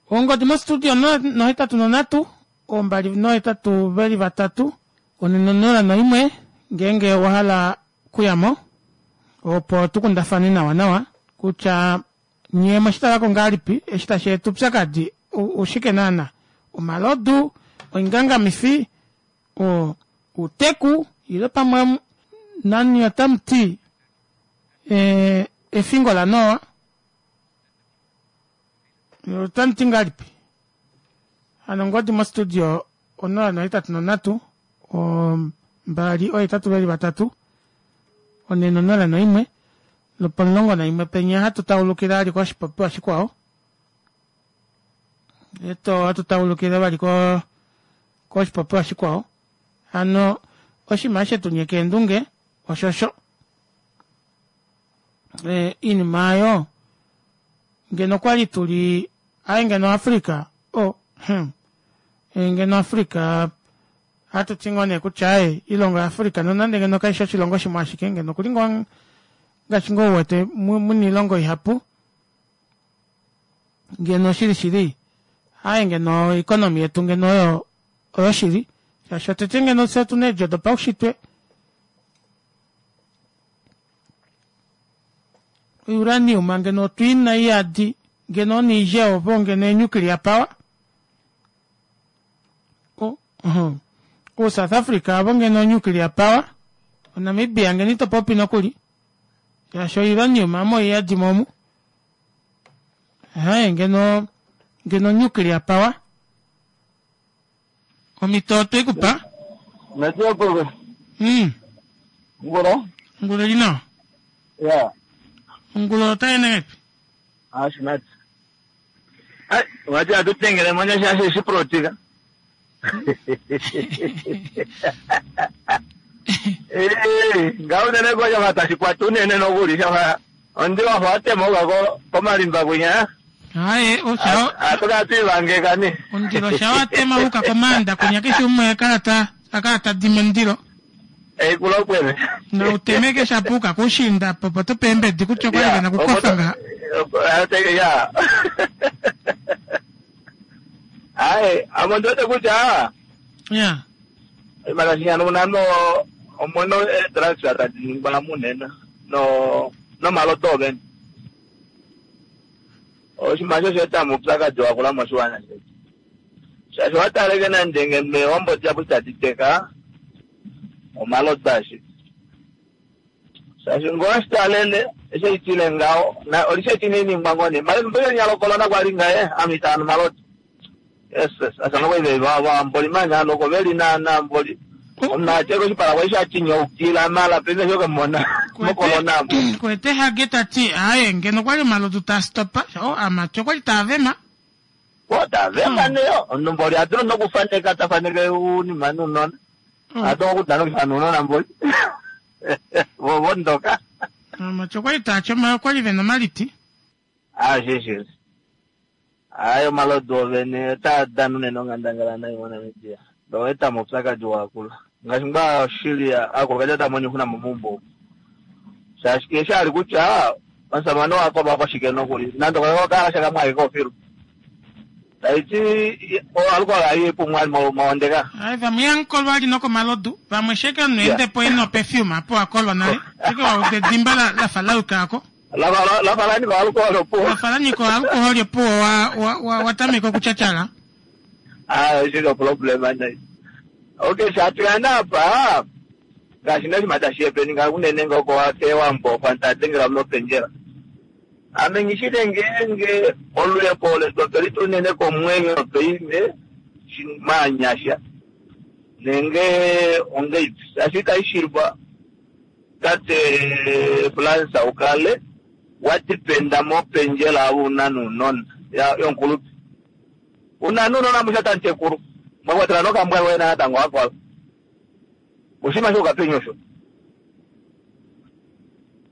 Ongodi mostudio nohetatu nonhatu ombali nohetatu veli vatatu one nonola noimwe ngeenge owahala okuyamo opo tukundafane nawa nawa kutya nyee omweshitalako ngahelipi eshi tasheeta oupyakadi oshike naana omalodu, oingangamifi, outeku ile pamwe nani otamuti efingo laNoa otamuti ngahelipi hano ongodi mostudio onola nohetatu nonhatu mbali ohetatu veli vatatu one nonola noimwe lwopomulongo naimwe penya hatu taulukile vali koshipopiwa shikwao eto hatu taulukile vali ko koshipopiwa shikwao hano oshinima shetunyeka eendunge oshosho iinima aayo ngeno okwali tuli aaye ngeno Africa oh hmm ngeno Africa ohatuti ngoo nee kutya aaye oilongo ya Africa nonande ngeno kaifi oshilongo shimwe ashike ngeno okuli ngoo ngaashi ngoo uwete muna oilongo ihapu ngeno shili shili aaye ngeno oeconomy yetu ngeno oyo oyoshili shaashi otete ngeno fyee otuna eedjo dopaushitwe uranium ngeno otwiina iyadi ngeno Niger opo ngeno ee-nuclear power o South Africa avo ngeno nuclear power oNamibia ngeno ito popi nokuli shaashi ouranium amo iyadi momu ngeno ngeno nuclear power omhito otweikupa mm Ngolo? Ongolo ili nawa. Ya. Ongolo otaende ngahelipi? Ashimati. Ai, wati atutengele mwanya shashe shiprotika. Eh, ngaunene koja vatashikwata unene nokuli shafa ondi wafa watema ukako komalimba kwinya. Aye, osha Atoka tuivange kani. omundilo shawatema uka komanda kwinya keshe umwe akala ta akala tadima omundilo Eikulopwene. nautemeke shapuka kushinda popo topeembedi kutya okwali vena kukofa ngaha. Ya. Aye, amo ndiwete kutya Ya. makashinyana unano omono e-drugs tadiningwa munene no nomaloto ovene oshinima osho osheeta muupyakadi wakula moshiwana shetu shaashi wataleke nande ngeno eehombo dihapu tadi teka omalodo ashike shaashi ngoo washitalele eshi itile ngaho na olisheti niningwa ngoo nee mara mbekenya lokolona kwali ngaye ame itaanu malodo yes yes asana kwaive vamboli manya loko veli naana mboli omunhu atye koshipala kwali shatinyaukila mala pene shokamona mokolona amo Kwete Hage tati aye ngeno okwali omalodu taastopa o amati okwali taavema. Otavema neyo omunhu mboli adulu nokufaneka tafaneke uunima nuunona ado okudana okufana nuunona mboli vovondoka Amati okwali taachoma okwali vena omaliti. Ashishi hayi omalodu ovene otaa dana unene onghandangala nayi moNamibia oeta moupyakadi wakula ngaashi ngaa shili aakulukadi otaa mono oixuna momagumbo omu shaashi keshe ali kutya omusamane wakolwa koshike nokuli nande okakala shakamwe ashike ofilu taiti alukolo ayi pumwe mawondeka. Aye vamwe yankolwa ali nokomalodu vamwe sheke omunhu endepo ena operfume apo akolwa nale sheke wauda edimba lafa lauka ako lafa lanika alcohol opuwo lafa lanyika alcohol opuwo watameka okutyatyala. Ah, shili oproblem nayi. Okay, shatukana apa ngaashi noshima tashi happening unene ngoko kewambo fanta adengela mopendjela Ame ngishile ngeenge oluhepo letu otwe litunene komwenyo paife maanyasha nenge ongeipi shaashi itaishilwa tate Fransa ukale watipenda mopendjela una nuunona yonkulupe una nuunona musha tantekulu mwakwatela nokambwa wena natango akwala oshinima shokapenye osho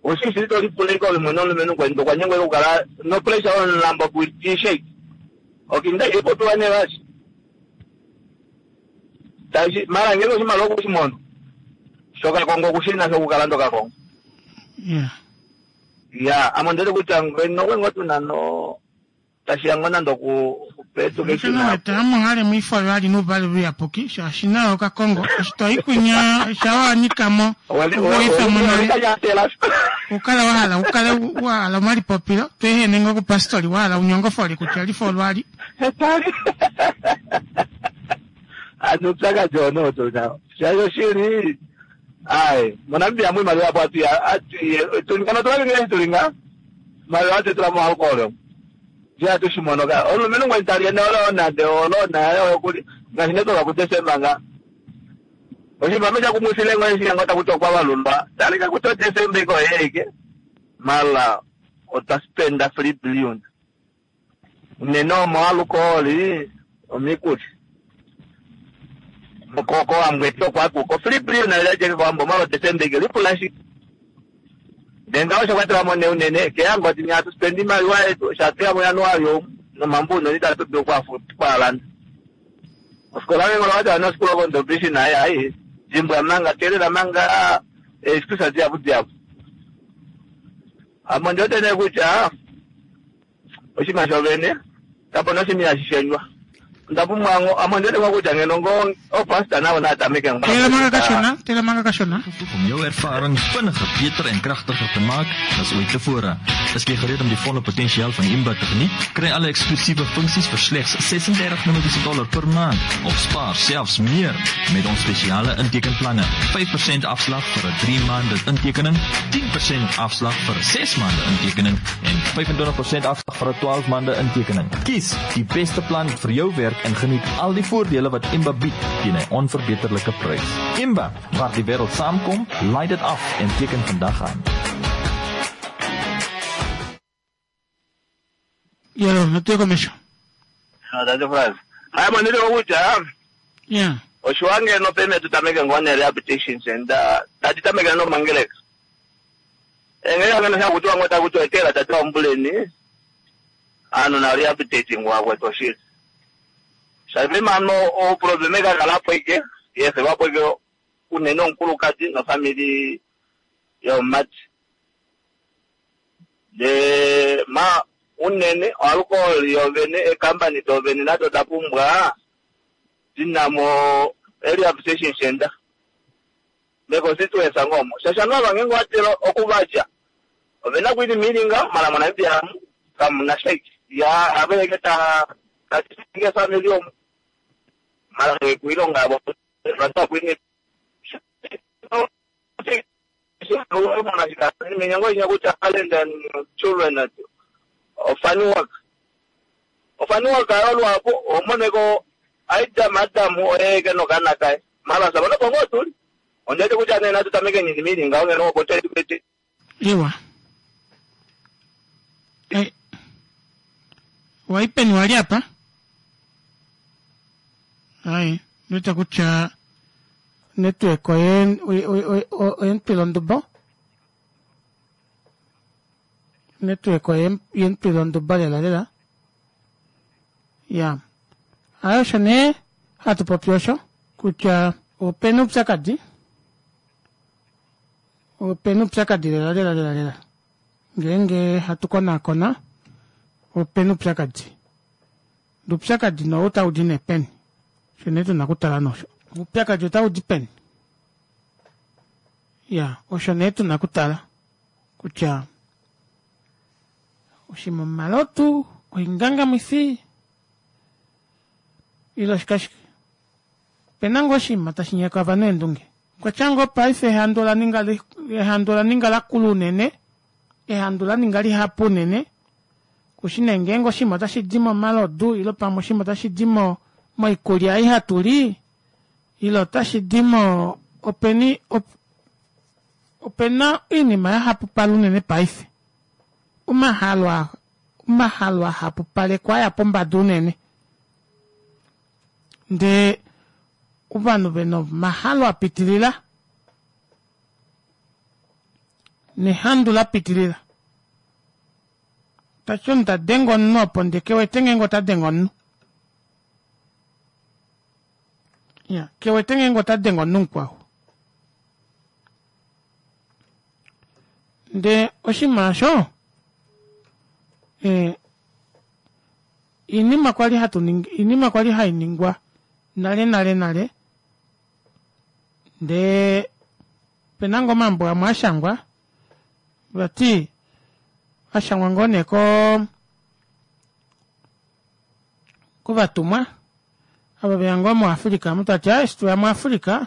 oshishi tolipuleka ove mwene omulumenhu kweni okwanyengwa okukala nopressure omulambo kuitishake okinda ipopiwa nevashi tashi mara ngeke oshimaliwa okushimono shokakongo okushina shokukala ndokakongo Yeah. Ya ame ondete kutya ngeno okwengo tuna no tashiya ngoo nande okupetuka Oshino amuhale mwifo lwali nuvale luyapuki shaashi nayo okakongo eshi toikunya shawanikamo ukuifamo nale ukale wahala ukale wahala omalipopilo tweehene ngoo kupastori wahala unyongofoli kutya lifo olwali ano upyakadi ono tunao shaashi oshili ai moNamibia mu imaliwa apo atutulinga notulabingile tulinga imaliwa atutula mo alcohol je atushimono ka omulumenhu ngweni tali ne olona de olona okuli ngaashi netoka kuDesemba nga oshinima shakumwisile ngwe shiyango takuti okwa valulwa talika kuti oDesemba iko yeike mala otwa spenda three billion unene omo alcohol omikuli kowambo etu okwakuko three billion alilajeke kowambo mala oDesemba ike lipula shike ndenga osho kwatelamo ne unene keyango ti atu spend imaliwa yetu shatuya muJanuari omu nomambuno itatu dulu kwalanda osikola ngengolo wati anosikola kondobishi naye ayi jimbwa manga telela manga excuse diabu diabu amo ndiotene kutya oshinima shovene kapona oshinima hashishenywa ndapumbwa amo ndiotene kutya ngeno ngo opastor navo natameke tela manga kashona tela manga kashona Om jou ervaring vinniger, beter en kragtiger te maak as ooit tevore. Is jy gereed om die volle potensiaal van Imba te geniet? Kry alle eksklusiewe funksies vir slegs ses-en-dertig Namibiese dollar per maand of spaar selfs meer met ons spesiale intekenplanne. vyf persent afslag vir 'n drie maande intekening, tien persent afslag vir 'n ses maande intekening en vyf-en-twintig persent afslag vir 'n twaalf maande intekening. Kies die beste plan vir jou werk en geniet al die voordele wat Imba bied teen 'n onverbeterlike prys. Imba, waar die wêreld saamkom, laai dit af en teken vandag aan. Yelo, natuye komesho. Tate Frans. Hayi mo ndile kutya Yeah. oshiwange no peme tutameke ngone rehabilitation center tati tameke no mangeleka. Engeke ngene sha kutiwa ngota kuti etela tati wambuleni ano na rehabilitating wakwe toshili. Shavi mano o probleme ka kalapo ike yese wapo ike unene onkulukadi no family yomumati. De ma unene alcohol yovene ecompany dovene nado dapumbwa dinamo rehabilitation center. Meconstituency ngomo. Shasha nova ngengo atelo okuvaja. Ovena kwini milinga mala moNamibia kamuna shake. Ya abeleke ta katinge family omu. Mala kuilonga abo. Rata kwini minyango inya kuti talent and children ofani work. Ofani work ayolwapo omoneko aida madamu oyeke nokana kae. Mala sabona bongo tuli. Ondete kuti anena tutameke nini milinga ongeno obote educate. Iwa. Eh. Waipeni wali apa? Ai, nita kutya network oye oyentwila ondubo. Network oye yentwila ondubo lela lela. Ya. Ayo osho nee hatu popi osho kutya opena upyakadi. Opena upyakadi lela lela lela lela. Ngeenge hatu konakona opena upyakadi. Upyakadi no otau di nepeni. Osho nee tuna okutala nosho. Upyakadi otau di peni. Ya, osho nee tuna okutala kutya oshimomalotu, oingangamwifi ile oshikashike. Opena ngoo oshinima tashi nyeka ovanhu eendunge. Kwatya ngoo paife ehandu ola ninga li, ehandu ola ninga lakula unene, ehandu la ninga lihapu unene, Kushi nee ngeenge oshinima otashi di momalodu ile pamwe oshinima otashi di mo moikulya ei hatu li ile otashi di mo openi op, opena oinima yahapupala unene paife. Omahalo omahalo ahapupalekwa aya pombada unene. Ndee ovanhu vena omahalo apitilila nehandu lapitilila. Tati omunhu tadenge omunhu opo ndee kewete ngeenge ota denge omunhu. Iya, kewete ngeenge ota denge omunhu mukwao. Ndee oshinima aasho ee oinima kwali hatu ningi oinima kwali hainingwa nale nale nale ndee opena ngoo omambo amwe ashangwa vati ashangwa ngoo nee koo kovatumwa ava veya ngoo mu africa omu tavati aaye eshi tweya mu africa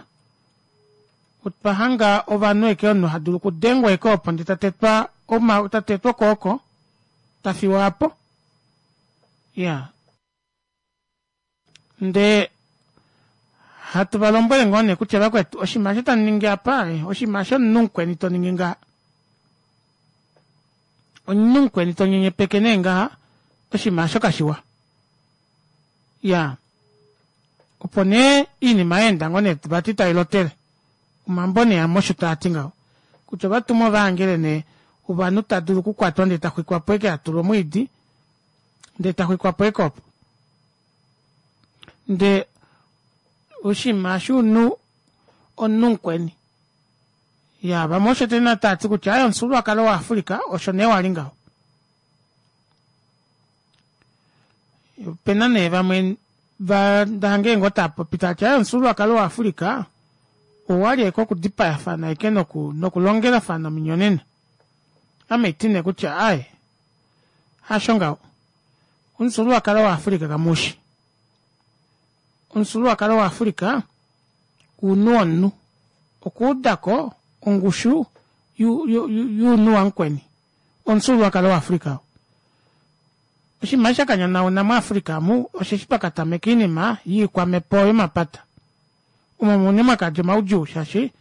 otwa hanga ovanhu ashike omunhu hadulu okudengwa ashike opo ndee tatetwa tatetwa okwooko tafiwa aapo iyaa ndee hatu valombwele ngoo nee kutya vakwetu oshinima eshi tamuningi apa oshinima eshi omunhu mukweni toningi ngaha omunhu mukweni tonyenyepeke nee ngaha oshinima aasho kashiwa iyaa opo nee oinima yaenda ngoo nee vati tailotele omambo nee amwe osho taati ngaho kutya ovatumwa ovahangele nee ovanhu tadulu okukwatwa ndee taxwikwapo ashike atulwa omwiidi ndee taxwikwapo ashike opo ndee oshinima eshi omunhu omunhu mukweni iyaa vamwe osho tavati kutya aaye omufyuululwakalo wa africa osho nee wali ngaho. Opena nee vamwe ndahanga ngoo taapopi taati aaye omufyuululwakalo wa africa owali ashike okudipayafana ashike noku nokulongelafana ominyonena. Ame haiti nee kutya aaye hasho ngaho omufyuululwakalo wa africa kamuushi. Omufyuululwakalo wa africa ounhu womunhu okuudako ongushu younhu wamukweni omufyuululwakalo wa africa oo. Oshinima eshi shakanyanauna mu africa omu osheshi pakatameka oinima yoikwamepo yomapata omo mune mwakadja omaudjuu shaashi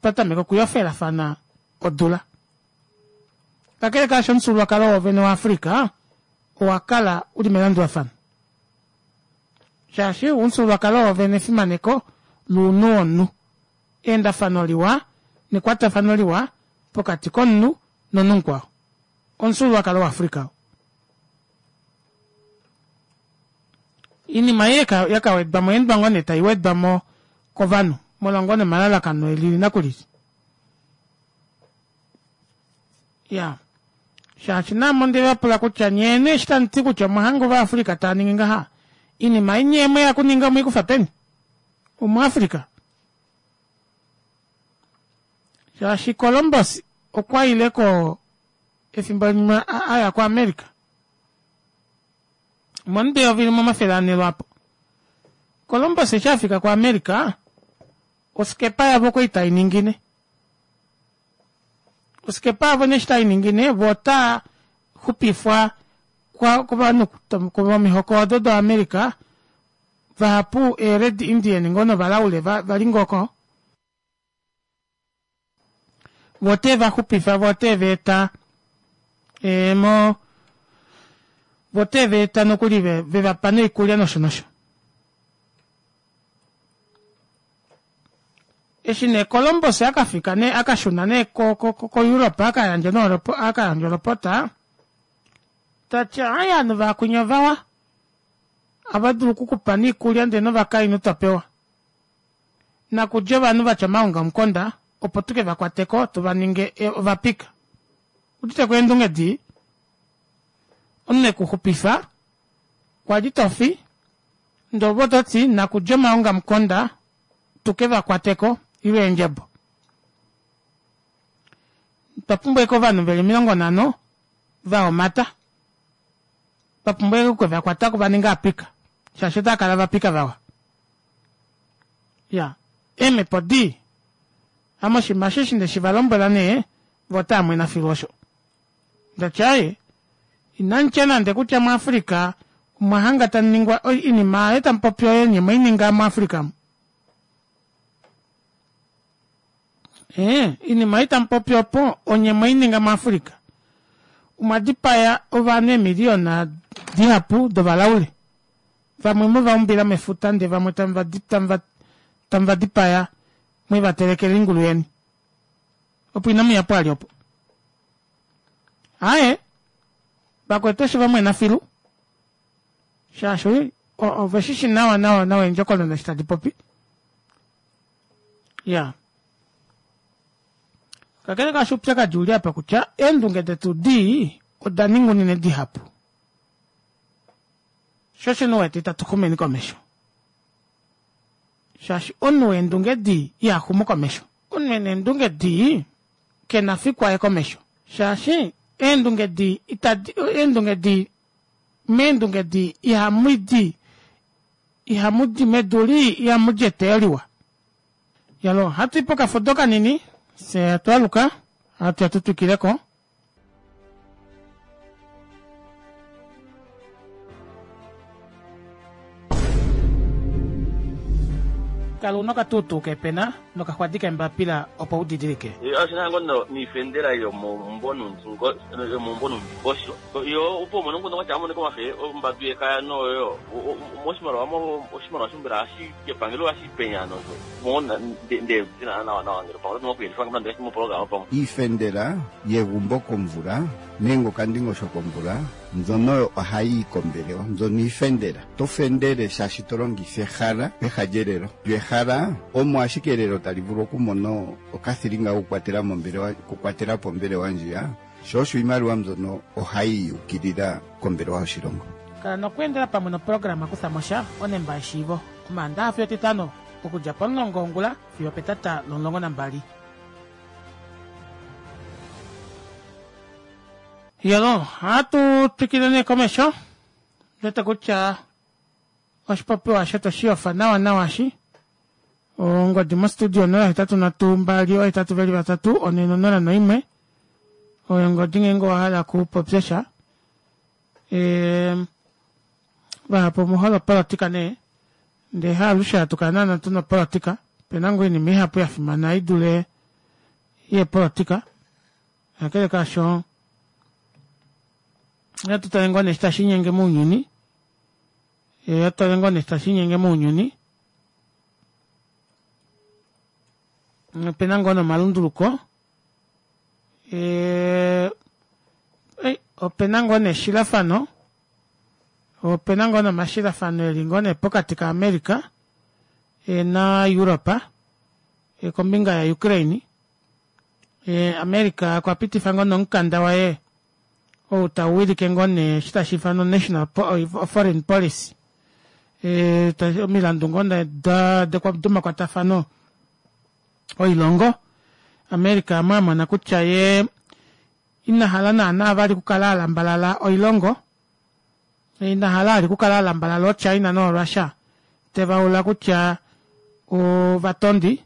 twatameka okuyofelafana odula. Kakele kaasho omufyuululwakalo woovene wa africa owakala uli melandulafano shaashi omufyuululwakalo woovene efimaneko lounhu womunhu eendafano liwa nekwatafano liwa pokati komunhu nomunhu mukwao omufyuululwakalo wa africa oo. Oinima ei yakawedwamo oyaendwa ngoo nee taiwedwamo kovanhu molwa ngoo nee omalalakano elili nakulili. Iyaa shaashi naame ondevapula kutya nyee nee eshi tamuti kutya omwahanga ova africa taaningi ngaha oinima ei nyee mweya okuninga omweikufa peni omu africa shaashi Columbus okwaile ko efimbo limwe aya ko America omomudo eyovi limwe omafele ane lwaapo. Columbus eshi afika ko America oskepa yavo okwali tainingine. Oskepa yavo nee eshi tainingine voo otaa xupifwa kovanhu vomihoko odo do America vahapu ee red indian ngoo novalaule vali ngoo oko voo otevaxupifa voo otevaeta mo voo otevaeta nokuli vevapa noikulya nosho nosho. Eshi nee Columbus akafika nee akashuna nee ko ko ko Europe akayandja nee akayandja olopota tati aaye ovanhu vaakwinya ovawa ohava dulu okukupa noikulya ndee novakainhu topewa. Nakudja ovanhu vatya omaongamukonda opo tuke vakwateko tuvaninge ovapika. Uditeko eendunge dii? Omunhu ekuxupifa kwali tofi ndee ove ototi nakudja omaongamukonda tuke vakwateko ile eendjebo. Otwa pumbwa ashike ovanhu veli omilongo nhano vahomata twa pumbwa ashike okukevakwatako vaninge aapika shaashi otaakala ovapika vawa. Iyaa eemhepo dii ame oshinima eshi eshi ndeshivalombwela nee voo otaamwena filu osho. Ndati aaye Inamutya nande kutya muAfrica omwa hanga tamuningwa oinima aayo tamupopi oyo nye mweininga muAfrica mu. Ee, oinima ei tamupopi opo onye mweininga muAfrica. Omwa dipaya ovanhu eemiliyona dihapu dovalaule. Vamwe mweva umbila mefuta ndee vamwe tamuva dipaya mweva telekela oingulu yeni. Opo inamuya po vali opo. Aaye, vakwetu eshi vamwena filu shaashi oveshishi nawa nawa nawa eendjokonona eshi tadi popi. Ya kakele kaasho oupyakadi uli apa kutya eendunge detu dii oda ninga unene dihapu. Sho osho nee uwete itatu xumeni komesho. Shaashi omunhu weendunge dii iha xumu komesho. Omunhu ena eendunge dii kena fiku aye komesho. Shaashi eendunge dii itadi eendunge dii meendunge dii ihamu di ihamu di medu lii ihamu di eteyo liwa. Yalo ohatu i pokafudo kanini fye hatu aluka hatu ya tu twikileko. Kala una okatuutuu keepena nokaxwadi keembapila opo u didilike. Osho ngo niifendela yomomumvo nuundingosho yo opo umone nguno watya amone komafe ombatu yekaya noyo moshimaliwa oshimaliwa shombela hashi kepangelo hashi penya nozo mona nde zina nawa nawa ngele pamwe oto moku yelifa mo programa pamwe. Iifendela yegumbo komvula nenge okandingosho komvula mbyono ohayi yi kombelewa, mbyono iifendela. To fendele shaashi to longitha ehala peha lyelelo. Lyo ehala omo ashike elelo tali vulu okumona okathilinga kokukwatela mombelewa, okukwatela po ombelewa ndjiya, sho osho iimaliwa mbyono ohayi yukilila kombelewa yoshilongo. Kala nokweendela pamwe noprograma Kutha mo sha onemba yeshiivo Omaandaxa fiyo Etitano okudja pomulongo wongula fiyo opetata lomulongo nambali. Yolo, ohatu twikile nee komesho. Ndwete kutya oshipopiwa osho toshi yofa nawa nawa shi. Ongodi mostudio onola hetatu nhatu mbali ohetatu veli vatatu one nonola noimwe. Oyo ongodi ngeenge owa hala okupopya sha. E, vahapu omuhole opolotika nee. Ndee haalushe hatu kala naana tuna opolotika. Opena ngoo oinima ihapu ya fimana i dule yeepolotika. Kakele kaasho natu tale ngoo nee eshi tashi linyenge mounyuni. Natu tale ngoo nee eshi tashi linyenge mounyuni. Opena ngoo nee omalunduluko. Opena ngoo nee eshilafano. Opena ngoo nee omashilafano eli ngoo nee pokati ka America na Europe kombinga ya Ukraine. America okwa pitifa ngoo nee omukanda waye ou tau wilike ngoo nee eshi tashi ifanwa national foreign policy. Omilandu ngoo nee domakwatafano oilongo. America omo amona kutya yee ina hala naana vali okukala alambalala oilongo. Ina hala vali okukala alambalala ooChina nooRussia tevaula kutya ovatondi.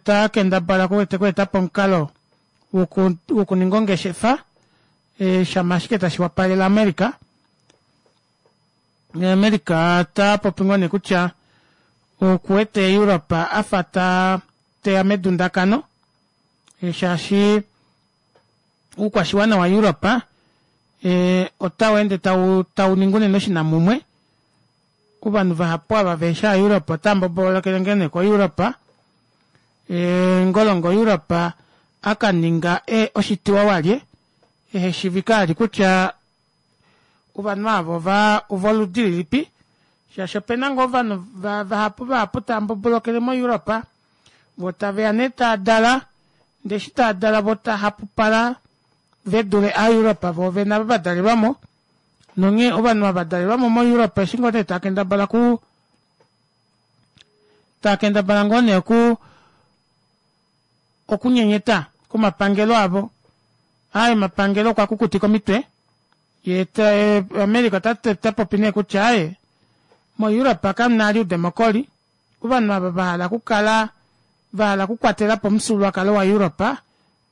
Ta kendabala okweetapo omukalo wokuninga ongeshefa shama ashike tashi wapalele America. America ta popi ngoo nee kutya okuwete Europe afa ta teya medundakano shaashi oukwashiwana wa Europe otau ende tau ningi unene oshinamumwe. Ovanhu vahapu ava vehefi ova Europe otava mbobolokele ngoo nee ko Europe. Ngolongo Europe akaninga oshitiwa walye eheshivika vali kutya ovanhu ava ovoludi lilipi shaashi opena ngoo ovanhu vahapu vahapu tava mbobolokele mo Europe voo taveya nee taadala ndee eshi taadala voo tahapupala vedule aaEurope voo vene ava vadalelwamo nonghee ovanhu ava vadalelwamo mo-Europe eshi ngoo nee taakendabala ku taakendabala ngoo nee oku okunyenyeta komapangelo avo. Aaye omapangelo okwa kukutika omitwe yee America ota popi nee kutya aaye mo-Europe kamuna vali oudemokoli ovanhu ava vahala okukala vahala okukwatelapo omufyuululwakalo wa-Europe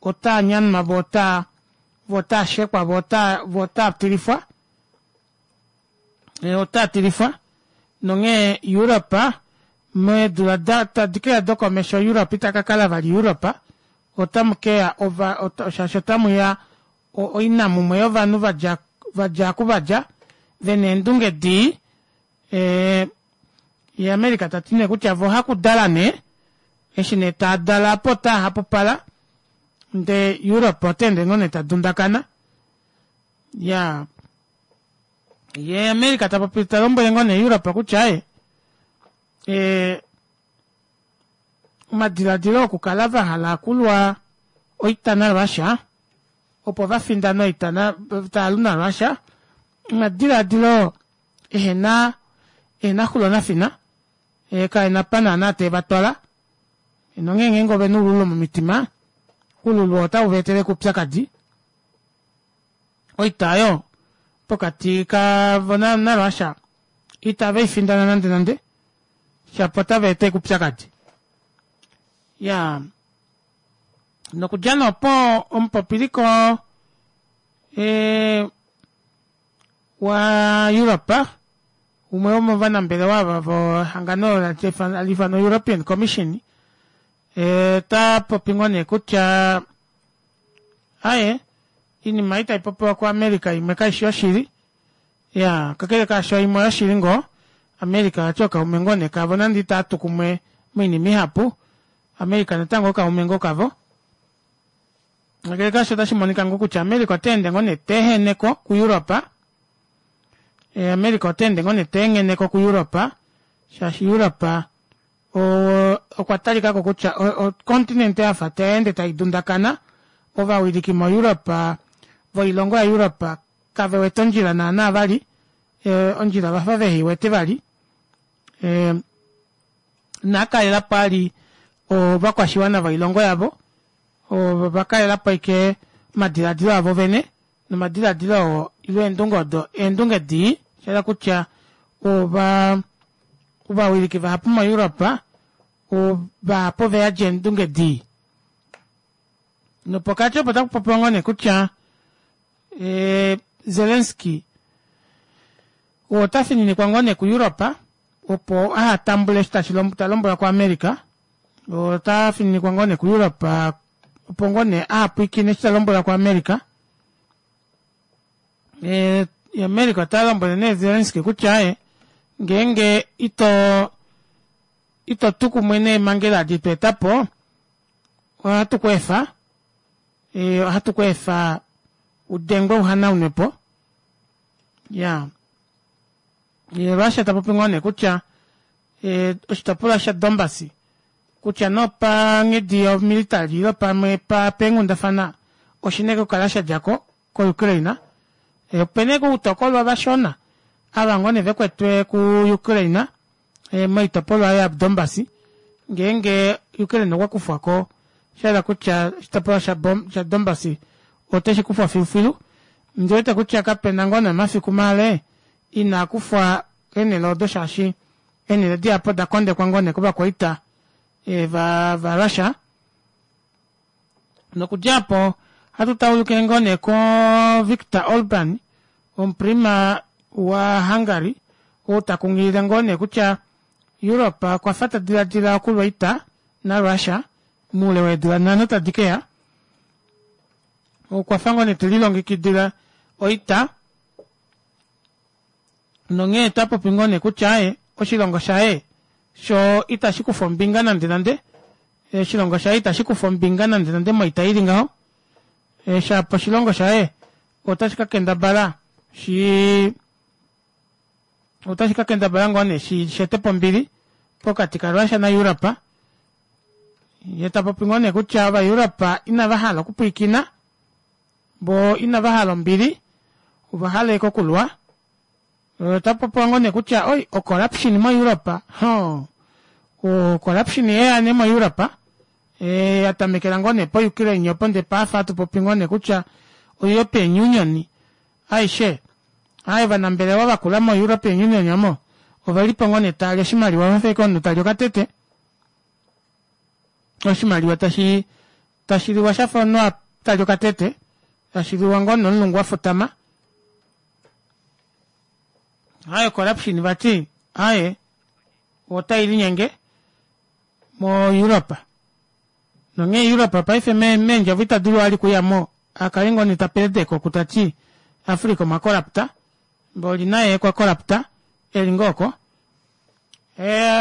otaa nyanwa voo otaa Vo otaa shekwa, vo otaa vo otaa tilifwa. E, otaa tilifwa. Nonghee Europe meedula da tadi keya dokomesho Europe ita ka kala vali Europe. Otamu keya ova ota, shaashi otamu ya oinamumwe yovanhu vadja vadja ku vadja vena eendunge dii. E, ye America tati nee kutya vo hakudala nee eshi nee taadala apo otaa hapupala ndee Europe ota ende ngoo nee tadundakana. Ya ye America tapopi talombwele ngoo nee Europe kutya ee e, omadiladilo okukala vahala okulwa oita naRussia opo vafindane oita na taalu naRussia omadiladilo ehena ehena xulo nafina e, kaena pa naana teevatwala nonghee ngeenge ovena oululu momitima oululu otau vaetele oupyakadi oita oyo pokati kavo naRussia itave ifindana nande nande shapo otava eta oupyakadi. Ya nokudja nee opo omupopiliko e, wa Europe umwe womovanambelewa ava vohangano hali ifanwa European Commission e, ta popi ngoo nee kutya aye iinima ei popiwa kuAmerica imwe kaishi yoshili. Ya kakele kaasho imwe oyoshili ngoo America vati okaume ngoo nee kavo nande itaatu kumwe moinima ihapu America natango okaume ngoo kavo. Kakele kaasho otashi monika ngoo kutya America ota ende ngoo nee teeheneko kuEurope. E, America ota ende ngoo nee teengheneko kuEurope shaashi Europe okwa talikako kutya ocontinent yafa taende tai dundakana. Ovawiliki moEurope voilongo yaEurope kave wete ondjila naana vali e, ondjila vafa vehiwete vali e, naakalelapo ali ovakwashiwana voilongo yavo ovakalelapo ashike omadiladilo avo vene nomadiladilo oo ile eendunge odo eendunge dii shahala kutya ova ovawiliki vahapu moEurope vahapu oveyadi eendunge dii. Nopokati opo taku popiwa ngoo nee kutya e, Zelensky ota fininikwa ngoo nee kuEurope opo ahatambule eshi tashi talombwelwa kuAmerica. Ota fininikwa ngoo nee kuEurope opo ngoo nee ahapwiikine eshi talombwelwa kuAmerica. E, America ota lombwele nee Zelensky kutya e ngeenge ito ito tu kumwe neemhangela adi tweetapo ohatu ku efa e, ohatu ku efa udengwe uhanaunwepo. Ya ye Russia tapopi ngoo nee kutya e, oshitopolwa shaDonbas kutya nopanghedi yomilitary ile pamwe pa peenghundafana oshina okukala shadjako koUkraine. E, opena uutokolwa vashona ava ngoo nee vekwetwe kuUkraine e, moitopolwa yaDonbas ngeenge Ukraine okwa kufwako shahala kutya oshitopolwa shaDonbas oteshi kufwa filufilu. Ndiwete kutya kapena ngoo nee omafiku male ina kufwa eenhele odo shaashi eenhele dihapu oda kondekwa ngoo nee kovakwaita e, va, va Russia. Nokudja apo ohatu taulukile ngoo nee ko Viktor Orban omuprima wa Hungary ou takunghilile ngoo nee kutya Europe okwa fa tadiladila okulwa oita naRussia moule weedula nhano tadi keya. Okwa fa ngoo nee telilongekidila oita nonghee tapopi ngoo nee kutya e oshilongo shaye sho itashi kufa ombinga nande nande oshilongo shaye itashi kufa ombinga nande nande moita ili ngaho. E, shapo oshilongo shaye otashi ka kendabala shi otashi ka kendabala ngoo nee shi shetepo ombili pokati kaRussia naEurope. Ye tapopi ngoo nee kutya ovaEurope inava hala okupwiikina bo inava hala ombili ova hala ashike okulwa. Ota popiwa ngoo nee kutya oi ocorruption moEurope ho ocorruption yeya nee moEurope e, ya tamekela ngoo nee po-Ukraine opo ndee paafa hatu popi ngoo nee kutya o-European Union aishe aye ovanambelewa vakula mo-European Union omo ovelipo ngoo nee taali oshimaliwa vafa ashike omunhu tali okatete oshimaliwa tashi tashi liwa shafa omunhu tali okatete Tashi liwa ngoo nomulungu wa futama. Aaye corruption vati aaye otai linyenge mo-Europe. Nonghee Europe paife meendjovo ita dulu vali okuyamo akale ngoo nee tapeledeke oku tati Africa omwa corrupta mboli naye okwa corrupta eli ngoo oko.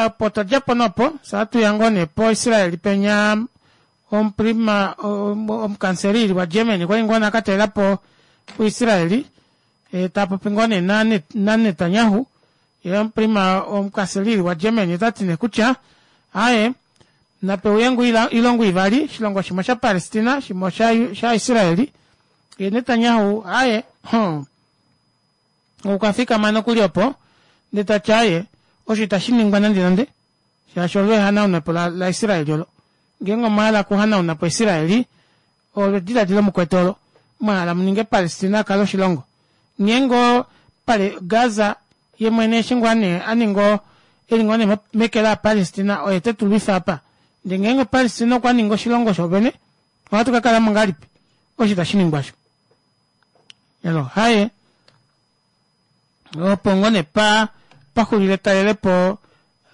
Opo twadjapo nee opo fyee ohatuya ngoo nee po Israel penya omuprima omukanselili wa Germany okwali ngoo nee akatalelapo ku Israel taapopi ngoo nee na Netanyahu yee omuprima omukanselili wa Germany otati nee kutya aaye napeuye ngoo oilongo ivali oshilongo shimwe osha Palestina shimwe osha Israel yee Netanyahu aaye hmm okwafikama nokuli opo ndee tati aaye osho itashiningwa nande nande shaashi olo ehanaunepo la Israel olo ngeenge omwahala okuhanaunapo Israel olo ediladilo mukwete olo mwahala muninge Palestina akale oshilongo ngeenge Gaza yemwene eshi ngoo nee aninga eli ngoo nee meke la Palestina oye tetulwifa apa ndee ngeenge Palestina okwa ningi oshilongo shoovene ohatu kakalamo ngahelipi osho itashiningwa osho elo haye opo ngoo nee pa paxulile etalelepo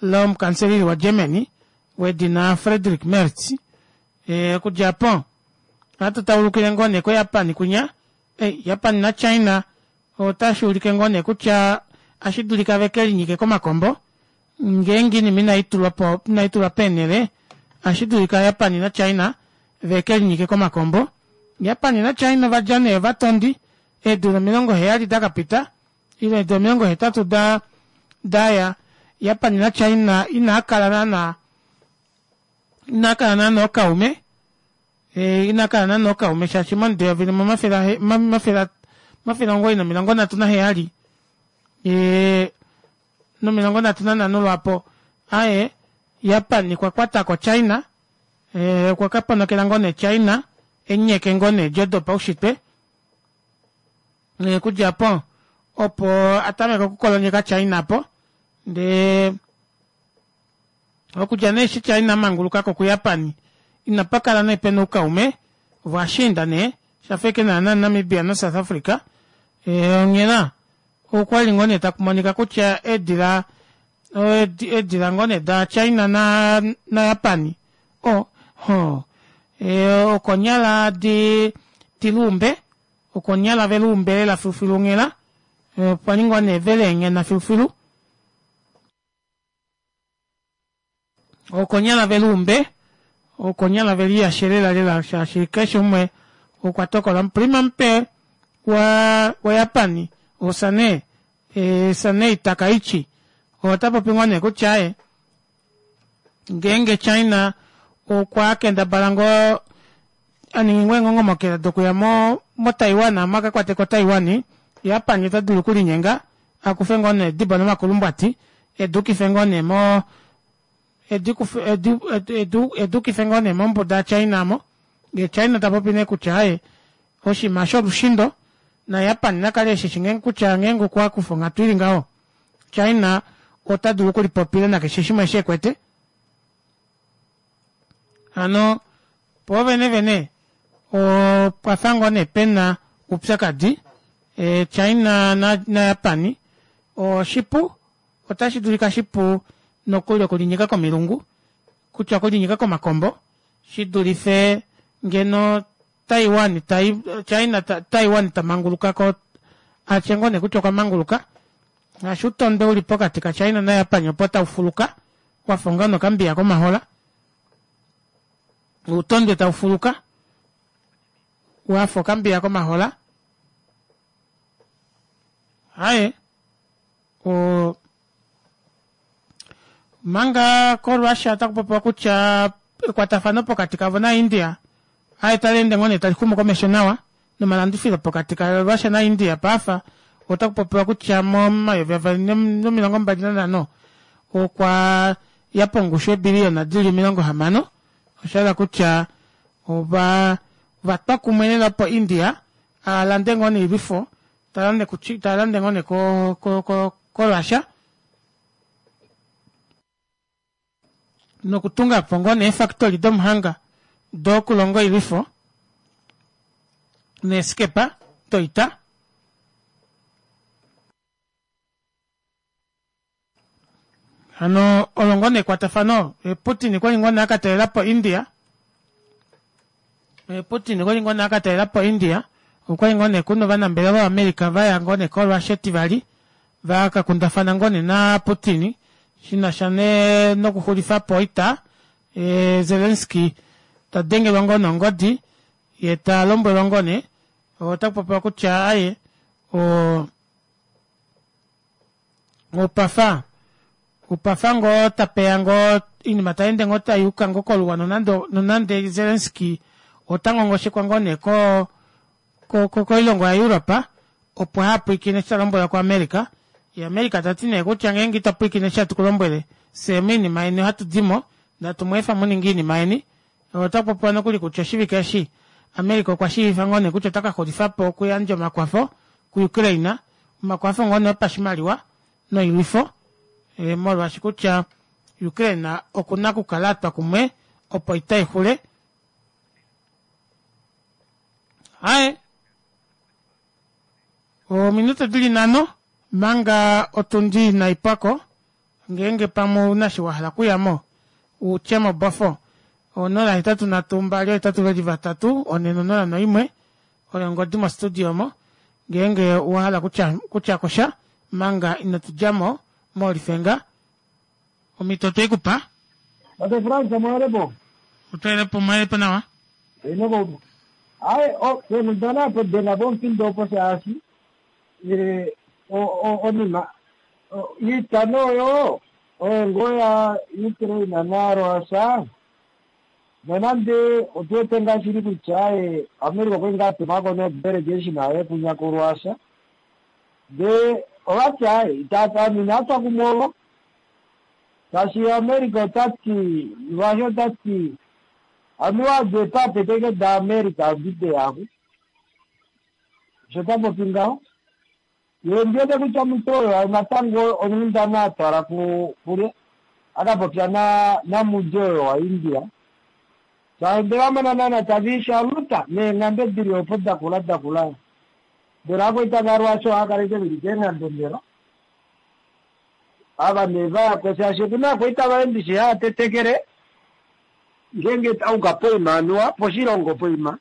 lomukanselili wa Germany wedina Friedrich Merz. Okudja aapo ohatu taulukile ngoo nee ko Japan kwinya Japan na China otashi ulike ngoo nee kutya ohashi dulika vekelinyike komakombo ngeenge oinima inaitulwapo inaitulwa peenele ohashi dulika Japan na China vekelinyike komakombo. Japan na China ovadja nee ovatondi eedula omilongo heyali dakapita ile eedula omilongo hetatu da daya Japan na China inaakala naana inaakala naana ookaume inakala naana ookaume shaashi momudo eyovi limwe omafele omafele omugoyi nomilongo nhatu naheyali nomilongo nhatu nanhano lwaapo aaye Japan okwa kwatako China okwa kaponokela ngoo nee China enyeke ngoo nee eedjo dopaushitwe okudja aapo opo atameka okukolonyeka China aapo ndee okudja nee eshi China amangulukako ku Japan inapakala nee pena oukaume ovashiinda nee shafa ashike naana Namibia na South Africa onghela okwali ngoo nee takumonika kutya eedila eedila ngoo nee da China na Japan o okonyala di diluumbe okonyala veluumbe lela filufilu onghela okwali ngoo nee veleenghena filufilu okonyala veluumbe okonyala veliyashe lela lela shaashi keshe umwe okwa tokola. Omuprima mupe wa waJapan oSanae Sanae Takaichi ota popi ngoo nee kutya aaye ngeenge China okwa kendabala ngoo aningi ngoo eengongomokela dokuya mo moTaiwan omo akakwateko Taiwan, Japan ota dulu okulinyenga akufe ngoo nee edibo nomakulumbwati eduukife ngoo nee mo eduukife ngoo nee mombuda ya China aamo yee China tapopi nee kutya aaye oshinima eshi olushindo na Japan nakale eshishi kutya ngeenge okwakufa onghatu ili ngaho China ota dulu okulipopila nakeshe shimwe eshi ekwete. Hano poovene vene opwafa ngoo nee pena oupyakadi China na Japan oshipu otashi dulika shipu nokuli okulinyika komilungu kutya okulinyika komakombo shidulife ngeno Taiwan China Taiwan tamangulukako atye ngoo nee kutya okwa manguluka ngaashi outondwe uli pokati ka China na Japan opo taufuluka wafa onga nokambiya komahola outondwe taufuluka wafa okambiya komahola aaye o manga ko Russia otakupopiwa kutya ekwatafano pokati kavo na India aaye taleende ngoo nee talixumu komesho nawa nomalandifilo pokati ka Russia na India paife otakupopiwa kutya momayovi avali nomilongo mbali nanhano okwa ya pongushu yeebiliyona dili omilongo hamano oshahala kutya ova ovatwa kumwe lela opo India alande ngoo noilwifo talande talande ngoo nee ko ko ko Russia nokutungapo ngoo nee eefactory domuhanga dokulonga oilwifo Neeskepa doita. Hano olo ngoo nee ekwatafano Putin okwali ngoo nee akatalelapo India. Putin okwali ngoo nee akatalelapo India. Okwali ngoo nee kuna ovanambelewa vaAmerica vaya ngoo nee koRussia Etivali vakakundafana ngoo nee naPutin shinasha nokuxulifapo oita. Zelensky tadengelwa ngoo nongodi yee talombwelwa ngoo nee otakupopiwa kutya aaye o opafa opafa ngoo tapeya ngoo oinima tayeende ngoo tayuka ngoo koluwa nonande nonande Zelensky ota ngongoshekwa ngoo nee ko koilongo ya Europe opo hapwiikine eshi talombwelwa ku America. Ye America tati nee kutya ngeenge ito pwiikine eshi hatu kulombwele fyee moinima yeni ohatu dimo natu mweefa muninge oinima yeni. Otakupopiwa nokuli kutya oshivike eshi America okwa shiivifa ngoo nee kutya ota kaxulifapo okuyandja omakwafo ku Ukraine, omakwafo ngoo nee opashimaliwa noilwifo e, molwaashi kutya Ukraine okuna okukala atwa kumwe opo oita ixule. Aye ominute dili nhano manga otundi inaipwako ngeenge pamwe ouna eshi wahala okuyamo utye mobofo onola hetatu nhatu mbali ohetatu veli vatatu one nonola noimwe oyo ongodi mo studio omo ngeenge owahala kutya kutyakosha manga inotudjamo molifenga omito otweikupa. Tate Frans, mwelepo. Otwelepo mwelepo nawa. Inoko. Ai, o kundana apo dena bompindo opo shaashi eh o o onima iita oyo oyo ngoo ya Ukraine naRussia nonande otuwete ngaa shili kutya America okwali ngaa atumako no delegation aye kunya kuRussia ndee ovati aye ita atwa kumwe ovo shaashi America otati Russia otati anuwa de pape teke da America odide yako osho tapopi ngaho. Ye ndiwete kutya omuntu oyo natango onghundana atwala kulye akapopya namudje oyo wa India shaashi vamona naana taviishaluta neenghambe dili opo dakula dakula mbela akwaita vaRussia ohaakaleke veli keenghambe mbela ava nee vayako shaashi okuna akwaita vaye ndishi haatetekele ngeenge auka poima anuwa poshilongo poima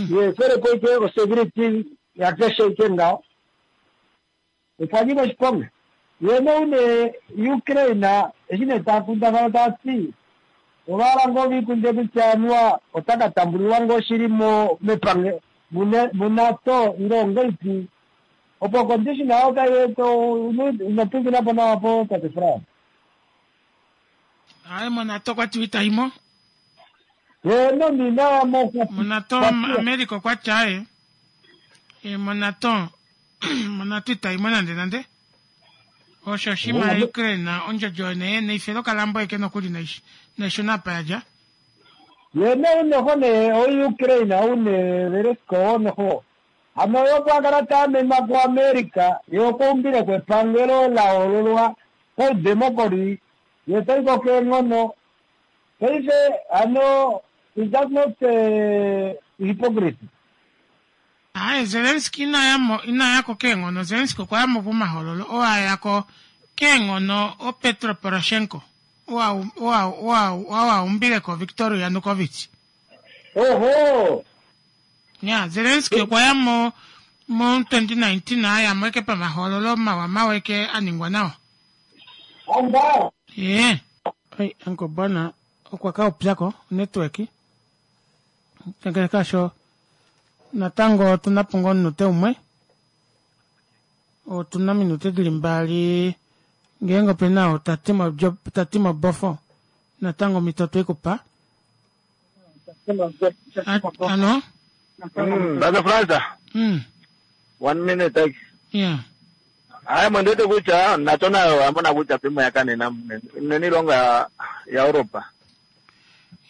ye felepo ike osecurity yakeshe ike ngaho okwa nyika oshiponga. Ye noune Ukraine eshi nee takundafana tati ovahala ngoo vikunde kutya anuwa ota katambulilwa ngoo shili mo mepange muNATO ile ongelipi opo condition ayo kaiwete inopinginapo nawa po tate Frans. Aye moNATO okwati itaimo. Ye no ninayamo moNATO America okwati aye e moNATO moNATO itaimo nande nande osho oshima ya Ukraine ondjodjo nee neifelo kalambo eke nokuli naishuna apa yadja. Ye nounoho nee o Ukraine oune Zelensky onoho hano yo kwakala taamenwa ku America ye okwaumbile kwepangelo lahoololwa koudemocracy ye taiko keenghono paife hano is that not uh, hypocrisy? Aye Zelensky inayamo inayako keenghono. Zelensky okwayamo pomahoololo oo ayako keenghono oPetro Poroshenko oo aumbileko Viktor Yanukovych. Oho ya Zelensky okwayamo mo twenty nineteen ayamo eke pamahoololo mawa mawa eke aningwa nawa. Anda ye ai anko bwana okwa kaupyako network kakele kasho natango otuna po ngoo omunute umwe otuna ominute dili mbali ngeenge opena oo tati mobofo natango omito otweikupa. Ano Brother Franza mm one minute. Yeah. Aye mwendete kutya NATO nayo amona kutya pimo yakanena nene ilongo ya ya Europa.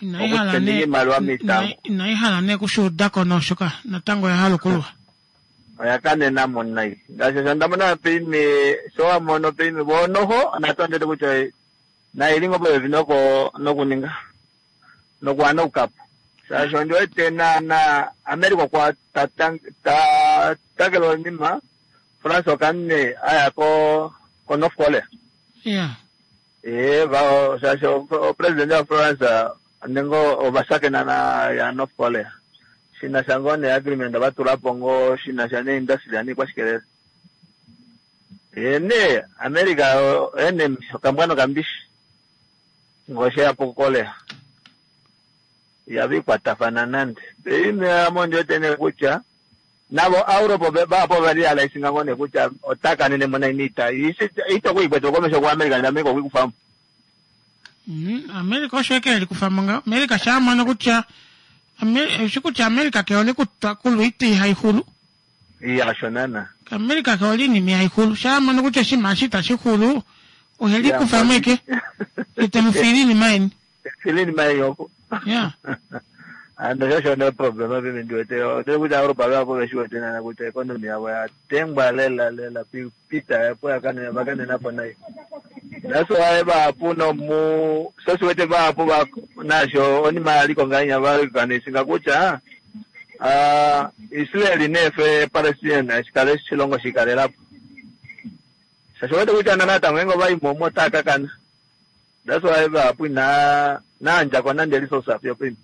Inaihala ne inaihala ne kushuudako noshoka natango oyahala okulwa. Oyakanena mo nai. Ngaashi sho ndamona pime sho wamono pime bonoho NATO ndete kutya na ilingo popepi noko nokuninga nokuhana oukapo. Shaashi ondi wete naana America okwa ta ta takele onima France okanne aya ko ko North Korea. Ya. Ee va shaashi o president wa France nengo ovashakena na ya North Korea. Shina sha ngoo ne agreement vatula po ngoo shina sha ne industry anikwashikelele. Ee ne America enemy okambwa nokambishi. Ngoshe ya po Korea. Yavikwatafana nande. Ime amo ndi wete ne kutya navo Europe vapo va realize ngoo ne kutya otakanene mona iniita itokuikwete komesho ku America na America okuikufamo. Mm, America osho eke likufamo ngaho. America sha mono kutya Amer- shi kutya America ke hole kutwa kulwa oita ihaixulu. Iya osho naana. America ke hole iinima ihaixulu. Sha mono kutya oshinima eshi itashi xulu oheli kufamo eke ete mu fiile iinima yeni. Fiile iinima yeni oko. Ya. Ando shosho ne problem api ndi wete ndiri kuti Europa vapo veshiwete nana kutya economy yavo yatengwa lela lela pita yapo yakanena vakanenapo nayo. That's why vapo nomu sosiwete vapo va nasho onima yaliko ngainya valikanisinga kutya ah Israel nefe Palestine shikale shilongo shikalelapo. Shasho wete kutya natango ngo vaimomo otakakana. That's why vapo ina naandjako nande resource apo pimi.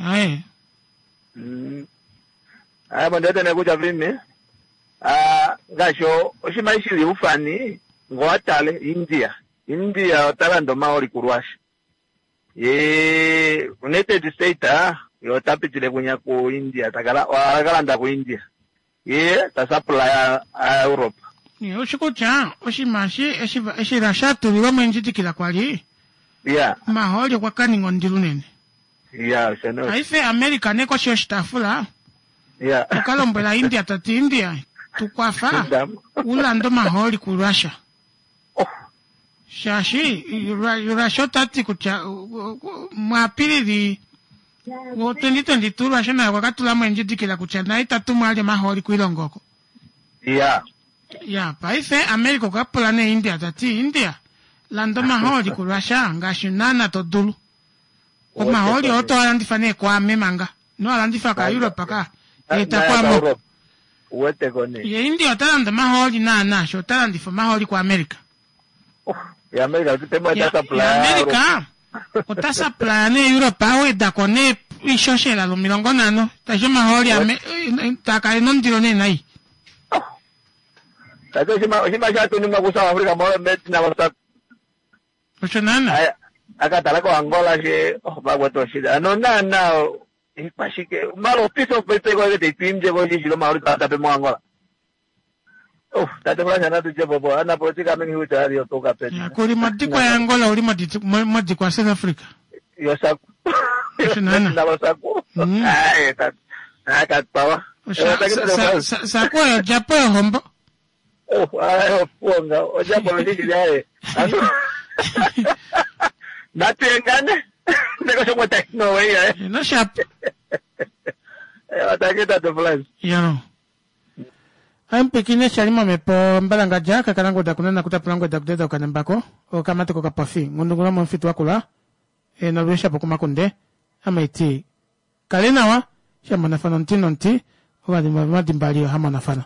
Aye. Mm. Aya bo ndete nekutya vimi ah ngaashi oshinima shili ufani ngowatale India. India otalanda omaoli kuRussia. Ye United States yo otapitile kunya ku India takala akalanda ku India. Ye ta supply a Europe. Ushi kutya oshinima eshi eshi eshi Russia atulilwa moindjidikila kwali Yeah. omahooli okwa kaninga ondilo unene. Yeah, osho no. Paife America ne koshi yoshitaafula Yeah. oka lombwela India tati India tukwafa ulande omahooli kuRussia. Oh. Shaashi Russia otati kutya muApilili wo twenty twenty two Russia naye okwa katulamo endjidikila kutya naye itatumwa ali omahooli koilongo oko. Yeah. Ya, paife America okwa pula nee India tati India landa omahooli kuRussia ngaashi naana to dulu. Omahooli oo toalandifa nee kwaame manga. Ino alandifa kaEurope ka. Eta kwaame oko. Uwete ko ne. Ye India ota landa omahooli naana sho ota landifa omahooli kuAmerica. Oh, ya America tutemo Ya, ota supply. ya America ota supply nee Europe awedako nee ishoshela lomilongo nhano. Tashi omahooli ame takale nondilo nee nai. Tate oshinima oshinima shatunimwa ku South Africa mo metina wa Osho naana. akatala ko Angola she oh bagweto shida. Ano naana ikwashike malo piece of paper ko te twimje ko shilo mauri ta pe mo Angola. Oh, tate Fransa na tuje bobo ana politika mengi huta ali otoka pe. Ya, kuli modikwa ya Angola uli modikwa South Africa. Yosaku. Osho naana. Na wasaku. Mm. Ai tate. Akatpawa. Saku oyo djapo yohombo. Oh, ai oponga. Ojapo ndiki yae. Ano. Natengane. Ndeko shomwe no way eh. No sharp. Eh, wataketa tate Fransa. Yo. Ampikine shali momepo mbalangadja kakalangoda kunana kutapulangweda kudeda okanambako okamateko kapofi ngundungula momufitu wakula e, nolwishapo kumakunde amaiti kale nawa shamonafana omuti nomuti ovadimba vomadimbali ohamonafana.